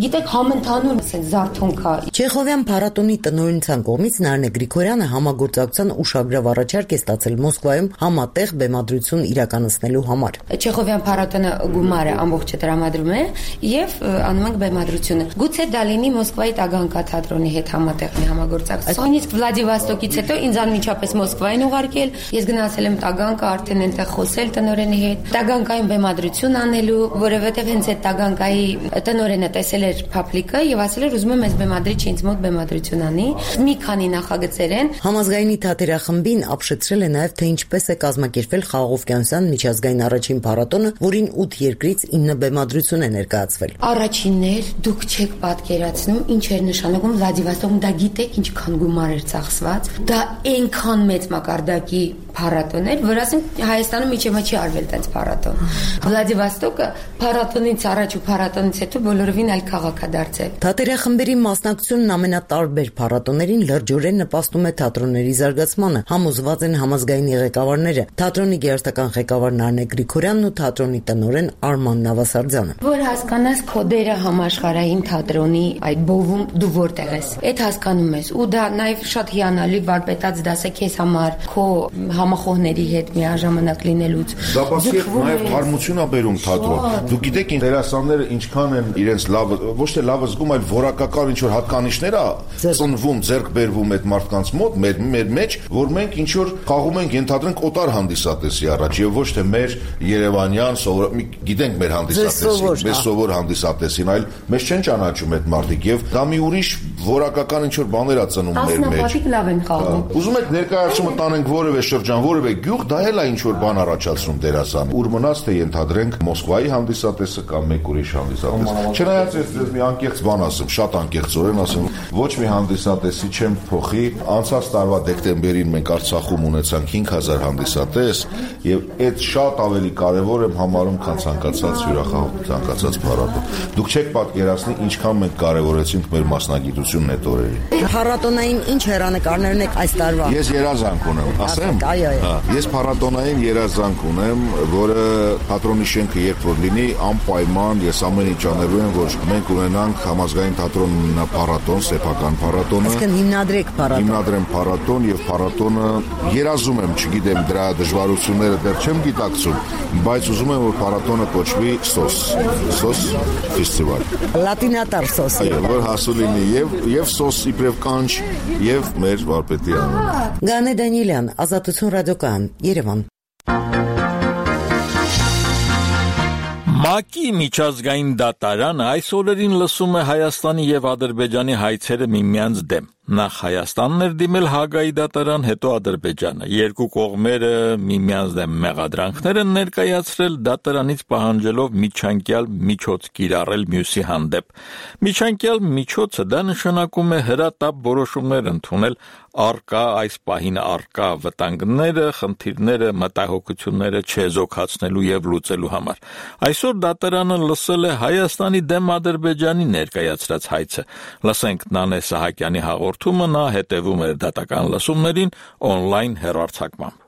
գիտեք, համընդհանուր զարթոնք է։ Չեխովյան փառատոնի տնօրինության կողմից Նարնե Գրիգորյանը համագործակցության ուշագրավ առաջարկ է ստացել Մոսկվայում համատեղ բեմադրություն իրականացնելու համար։ Չեխովյան փառատոնը գումարը ամբողջը տրամադրում է եւ անում ենք բեմադրությունը։ Գուցե դա լինի Մոսկվայի Տագանկա թատրոնի հետ համատեղ մի համագործակցություն։ Նույնիսկ Վլադիվոստոկից հետո ինձ անմիջապես Մոսկվային ուղարկել, ես գնացել եմ Տագանկա, արդեն այնտեղ խոսել տնօրենի հետ, Տագանկայում բեմադրություն անելու, որովհետեւ հենց այդ Տագանկայի տնօրենը տեսել էր Փափլիկը եւ ասել էր ուզում եմ այս բեմադրիչը ինձ մոտ բեմադրություն անի։ Մի քանի նախագծեր են։ Համազգայինի թատերախմբին ապշեցրել է նաև թե ինչպես է կազմակերպվել Խաղաղօվկիանոսյան միջազգային առաջին փառատոնը, որին 8 երկրից 9 բեմադրություն է ներկայացվել։ Առաջիններ դուք չեք պատկերացնում ինչ էր նշանակում Վլադիվոստոկում, դա գիտեք ինչքան գումար էր ծախսված։ Դա այնքան մեծ մակարդակի փառատոն էր, որ ասենք Հայաստանում իջեմա չի արվել այդպես փառատոն։ Վլադիվոստոկը փառատոնից առաջ ու փառատոնից հետո բոլորովին այլ քաղաք է դարձել։ Թատերախմբերի մասնակցությունն ամենատարբեր փառատոներին լրջորեն նպաստում է թատրոնների զարգացմանը, համոզված են համազգայինի ղեկավարները, թատրոնի գերստական ղեկավար Նարնե Գրիգորյանն ու թատրոնի տնօրեն Արման Նավասարդյանը։ Որ հասկանաս քո դերը համաշխարհային թատրոնի այդ բովում դու որտեղ ես։ Այդ հասկանում ես ու դա նաև շատ հիանալի վարպետաց դաս է քեզ համար, քո համախոհների հետ միաժամանակ լինելուց։ Դա բացի նաև թարմություն է բերում թատրոն։ Դու գիտեք ինչ դերասանները ինչքան են իրենց լավ, ոչ թե լավ զգում, այլ որակական ինչ որ հատկանիշներ է ծնվում, ձեռք բերվում այդ մարդկանց մոտ, մեր մեջ, որ մենք ինչ որ խաղում ենք, ենթադրենք օտար հանդիսատեսի առաջ եւ ոչ թե մեր Երևանյան գիտենք մեր հանդիսատեսին, մեր սովոր հանդիսատեսին, այլ մեզ չեն ճանաչում այդ մարդիկ եւ դա մի ուրիշ որակական ինչ-որ բաներ ա ծնում մեր մեջ։ Ասնապատիկ լավ են խաղում։ Ուզում եք ներկայացումը տանենք որևէ շրջան, որևէ գյուղ, դա էլ է ինչ-որ բան առաջացնում դերասան։ Ուր մնաց թե ենթադրենք Մոսկվայի հանդիսատեսը կամ մեկ ուրիշ հանդիսատես։ Չնայած ես մի անկեղծ բան ասեմ, շատ անկեղծորեն ասեմ, ոչ մի հանդիսատեսի չեմ փոխի։ Անցած տարվա դեկտեմբերին մենք Արցախում ունեցանք 5000 հանդիսատես, եւ այդ շատ ավելի կարեւոր եմ համարում, քան ցանկացած հյուրախաղ, ցանկացած փառատոն։ Դուք չեք պատկերացնի ինչքան մենք կարևորեցինք մեր մասնագիտությունն այդ օրերին։ Փառատոնային ինչ հեռանկարներն եք այս տարվա։ Ես երազանք ունեմ, ասեմ։ Ես փառատոնային երազանք ունեմ, որը թատրոնի շենքը երբ որ լինի, անպայման ես ամեն ինչ անելու եմ, որ մենք ունենանք համազգային թատրոն փառատոն, սեփական փառատոնը։ Այսինքն հիմնադրեք փառատոն։ Հիմնադրեմ փառատոն եւ փառատոնը երազում եմ, չգիտեմ դրա դժվարությունները դեռ չեմ գիտակցում, բայց ուզում եմ որ փառատոնը կոչվի SOS ֆեստիվալ։ Լատինատար SOS։ Այո, որ հասու լինի եւ SOS իբրև կանչ եւ մեր վարպետի անունը։ Գանե Դանիելյան, Ազատություն ռադիոկայան, Երևան։ ՄԱԿ-ի միջազգային դատարանը այս օրերին լսում է Հայաստանի եւ Ադրբեջանի հայցերը միմյանց դեմ։ Նախ Հայաստանն էր դիմել Հագայի դատարան, հետո Ադրբեջանը։ Երկու կողմերը միմյանց դեմ մեղադրանքներ են ներկայացրել, դատարանից պահանջելով միջանկյալ միջոց կիրառել մյուսի հանդեպ։ Միջանկյալ միջոցը դա նշանակում է հրատապ որոշումներ ընդունել առկա այս պահին առկա վտանգները, խնդիրները, մտահոգությունները չեզոքացնելու եւ լուծելու համար։ Այսօր դատարանը լսել է Հայաստանի դեմ Ադրբեջանի ներկայացրած հայցը։ Լսենք Նանե Սահակյանի հաղորդումը, նա հետևում էր դատական լսումներին on-line հեռարձակմամբ։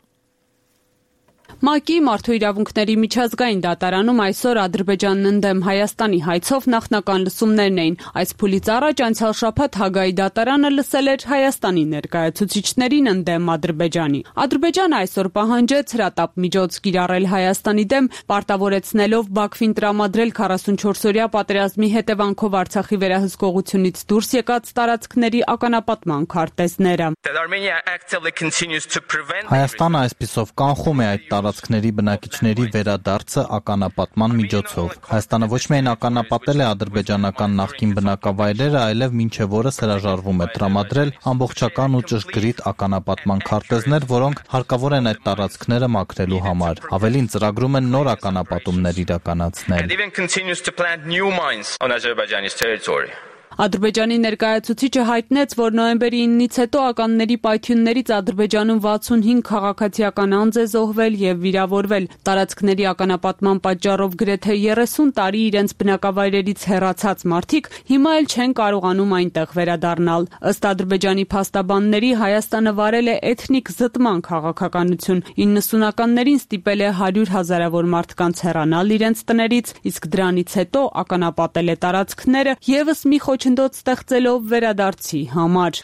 ՄԱԿ-ի մարդու իրավունքների միջազգային դատարանում այսօր Ադրբեջանն ընդդեմ Հայաստանի հայցով նախնական լսումներն էին։ Այս փուլից առաջ անցյալ շաբաթ Հագայի դատարանը լսել էր Հայաստանի ներկայացուցիչներին ընդդեմ Ադրբեջանի։ Ադրբեջանը այսօր պահանջեց հրատապ միջոց կիրառել Հայաստանի դեմ, պարտավորեցնելով Բաքվին տրամադրել 44-օրյա պատերազմի հետևանքով Արցախի վերահսկողությունից դուրս եկած տարածքների ականապատման քարտեզները։ Հայաստանը այսպիսով կանխում է այդ տարածքների բնակիչների վերադարձը ականապատման միջոցով։ Հայաստանը ոչ միայն ականապատել է ադրբեջանական նախկին բնակավայրերը, այլև մինչև օրս հրաժարվում է տրամադրել ամբողջական ու ճշգրիտ ականապատման քարտեզներ, որոնք հարկավոր են այդ տարածքները մաքրելու համար։ Ավելին ծրագրում են նոր ականապատումներ իրականացնել։ Ադրբեջանի ներկայացուցիչը հայտնեց, որ նոյեմբերի 9-ից հետո ականների պայթյուններից Ադրբեջանում 65 քաղաքացիական անձ է զոհվել եւ վիրավորվել։ Տարածքների ականապատման պատճառով գրեթե 30 տարի իրենց բնակավայրերից հեռացած մարդիկ հիմա էլ չեն կարողանում այնտեղ վերադառնալ։ Ըստ Ադրբեջանի փաստաբանների Հայաստանը վարել է էթնիկ զտման քաղաքականություն։ 90-ականներին ստիպել է 100 հազարավոր մարդկանց հեռանալ իրենց տներից, իսկ դրանից հետո ականապատել է տարածքները եւս մի խոչընդոտ ստեղծելով վերադարձի համար։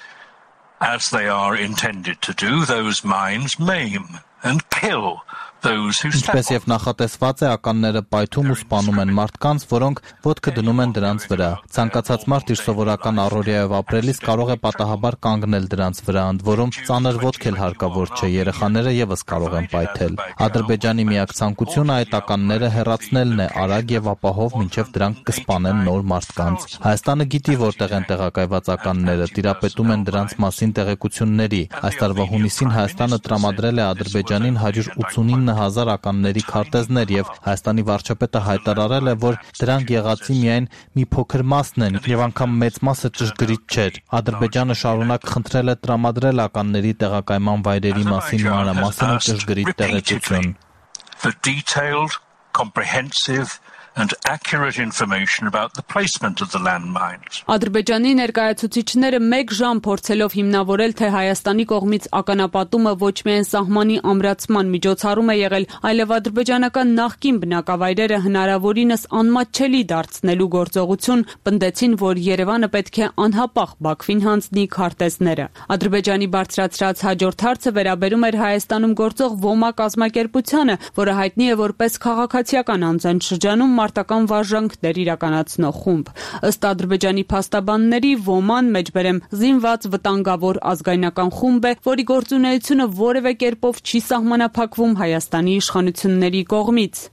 As they are intended to do, those mines maim and kill those who step on. Ինչպես եւ նախատեսված է, ականները պայթում ու սպանում են մարդկանց, որոնք ոտքը դնում են դրանց վրա։ Ցանկացած մարդ իր սովորական առօրյայով ապրելիս կարող է պատահաբար կանգնել դրանց վրա, ընդ որում ծանր ոտք էլ հարկավոր չէ, երեխաները եւս կարող են պայթել։ Ադրբեջանի միակ ցանկությունը այդ ականները հեռացնելն է արագ եւ ապահով, մինչեւ դրանք կսպանեն նոր մարդկանց։ Հայաստանը գիտի որտեղ են տեղակայված ականները, տիրապետում են դրանց մասին տեղեկությունների։ Այս տարվա հունիսին Հայաստանը տրամադրել է Ադրբեջանին 189,000 ականների քարտեզներ եւ Հայաստանի վարչապետը հայտարարել է, որ դրանք եղածի միայն մի փոքր մասն են եւ անգամ մեծ մասը ճշգրիտ չէր։ Ադրբեջանը շարունակ խնդրել է տրամադրել ականների տեղակայման վայրերի մասին մանրամասն ու ճշգրիտ տեղեկություն։ For detailed, comprehensive and accurate information about the placement of the landmines. Ադրբեջանի ներկայացուցիչները 1 ժամ փորձելով հիմնավորել, թե Հայաստանի կողմից ականապատումը ոչ միայն սահմանի ամրացման միջոցառում է եղել, այլև ադրբեջանական նախկին բնակավայրերը հնարավորինս անմատչելի դարձնելու գործողություն, պնդեցին, որ Երևանը պետք է անհապաղ Բաքվին հանձնի քարտեզները։ Ադրբեջանի բարձրացրած հաջորդ հարցը վերաբերում էր Հայաստանում գործող ՈՄԱ կազմակերպությանը, որը հայտնի է որպես քաղաքացիական անձն շրջանում մարտական վարժանքներ իրականացնող խումբ։ Ըստ Ադրբեջանի փաստաբանների ՈՄԱ-ն մեջբերեմ զինված վտանգավոր ազգայնական խումբ է, որի գործունեությունը որևէ կերպով չի սահմանափակվում Հայաստանի իշխանությունների կողմից։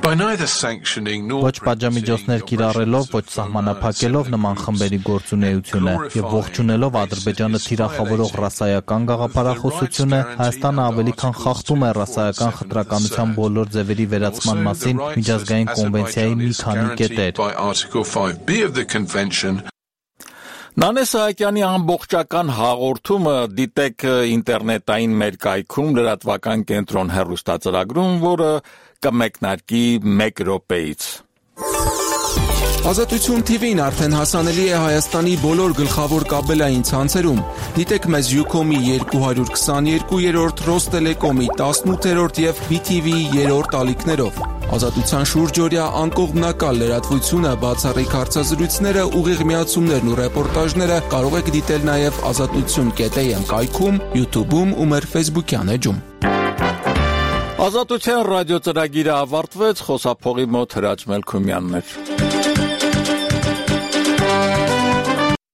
Ոչ պատժամիջոցներ կիրառելով, ոչ սահմանափակելով նման խմբերի գործունեությունը եւ ողջունելով Ադրբեջանը թիրախավորող ռասայական գաղափարախոսությունը, Հայաստանը ավելի քան խախտում է ռասայական խտրականության բոլոր ձևերի վերացման մասին միջազգային կոնվենցիայի մի քանի կետեր։ Նանե Սահակյանի ամբողջական հաղորդումը դիտեք ինտերնետային մեր կայքում լրատվական կենտրոն հեռուստածրագրում, որը կմեկնարկի 1 րոպեից։ Ազատություն TV-ն արդեն հասանելի է Հայաստանի բոլոր գլխավոր կաբելային ցանցերում։ Դիտեք մեզ Ucom-ի 222-րդ, Ռոստելեկոմի 18-րդ եւ BTV-ի 3-րդ ալիքներով։ Ազատության շուրջօրյա անկողմնակալ լրատվությունը, բացառիկ հարցազրույցները, ուղիղ միացումներն ու ռեպորտաժները կարող եք դիտել նաև azatutun.am կայքում, YouTube-ում ու մեր Facebook-յան էջում։ Ազատության ռադիո ծրագիրը ավարտվեց, խոսափողի մոտ Հրաչ Մելքումյանն էր։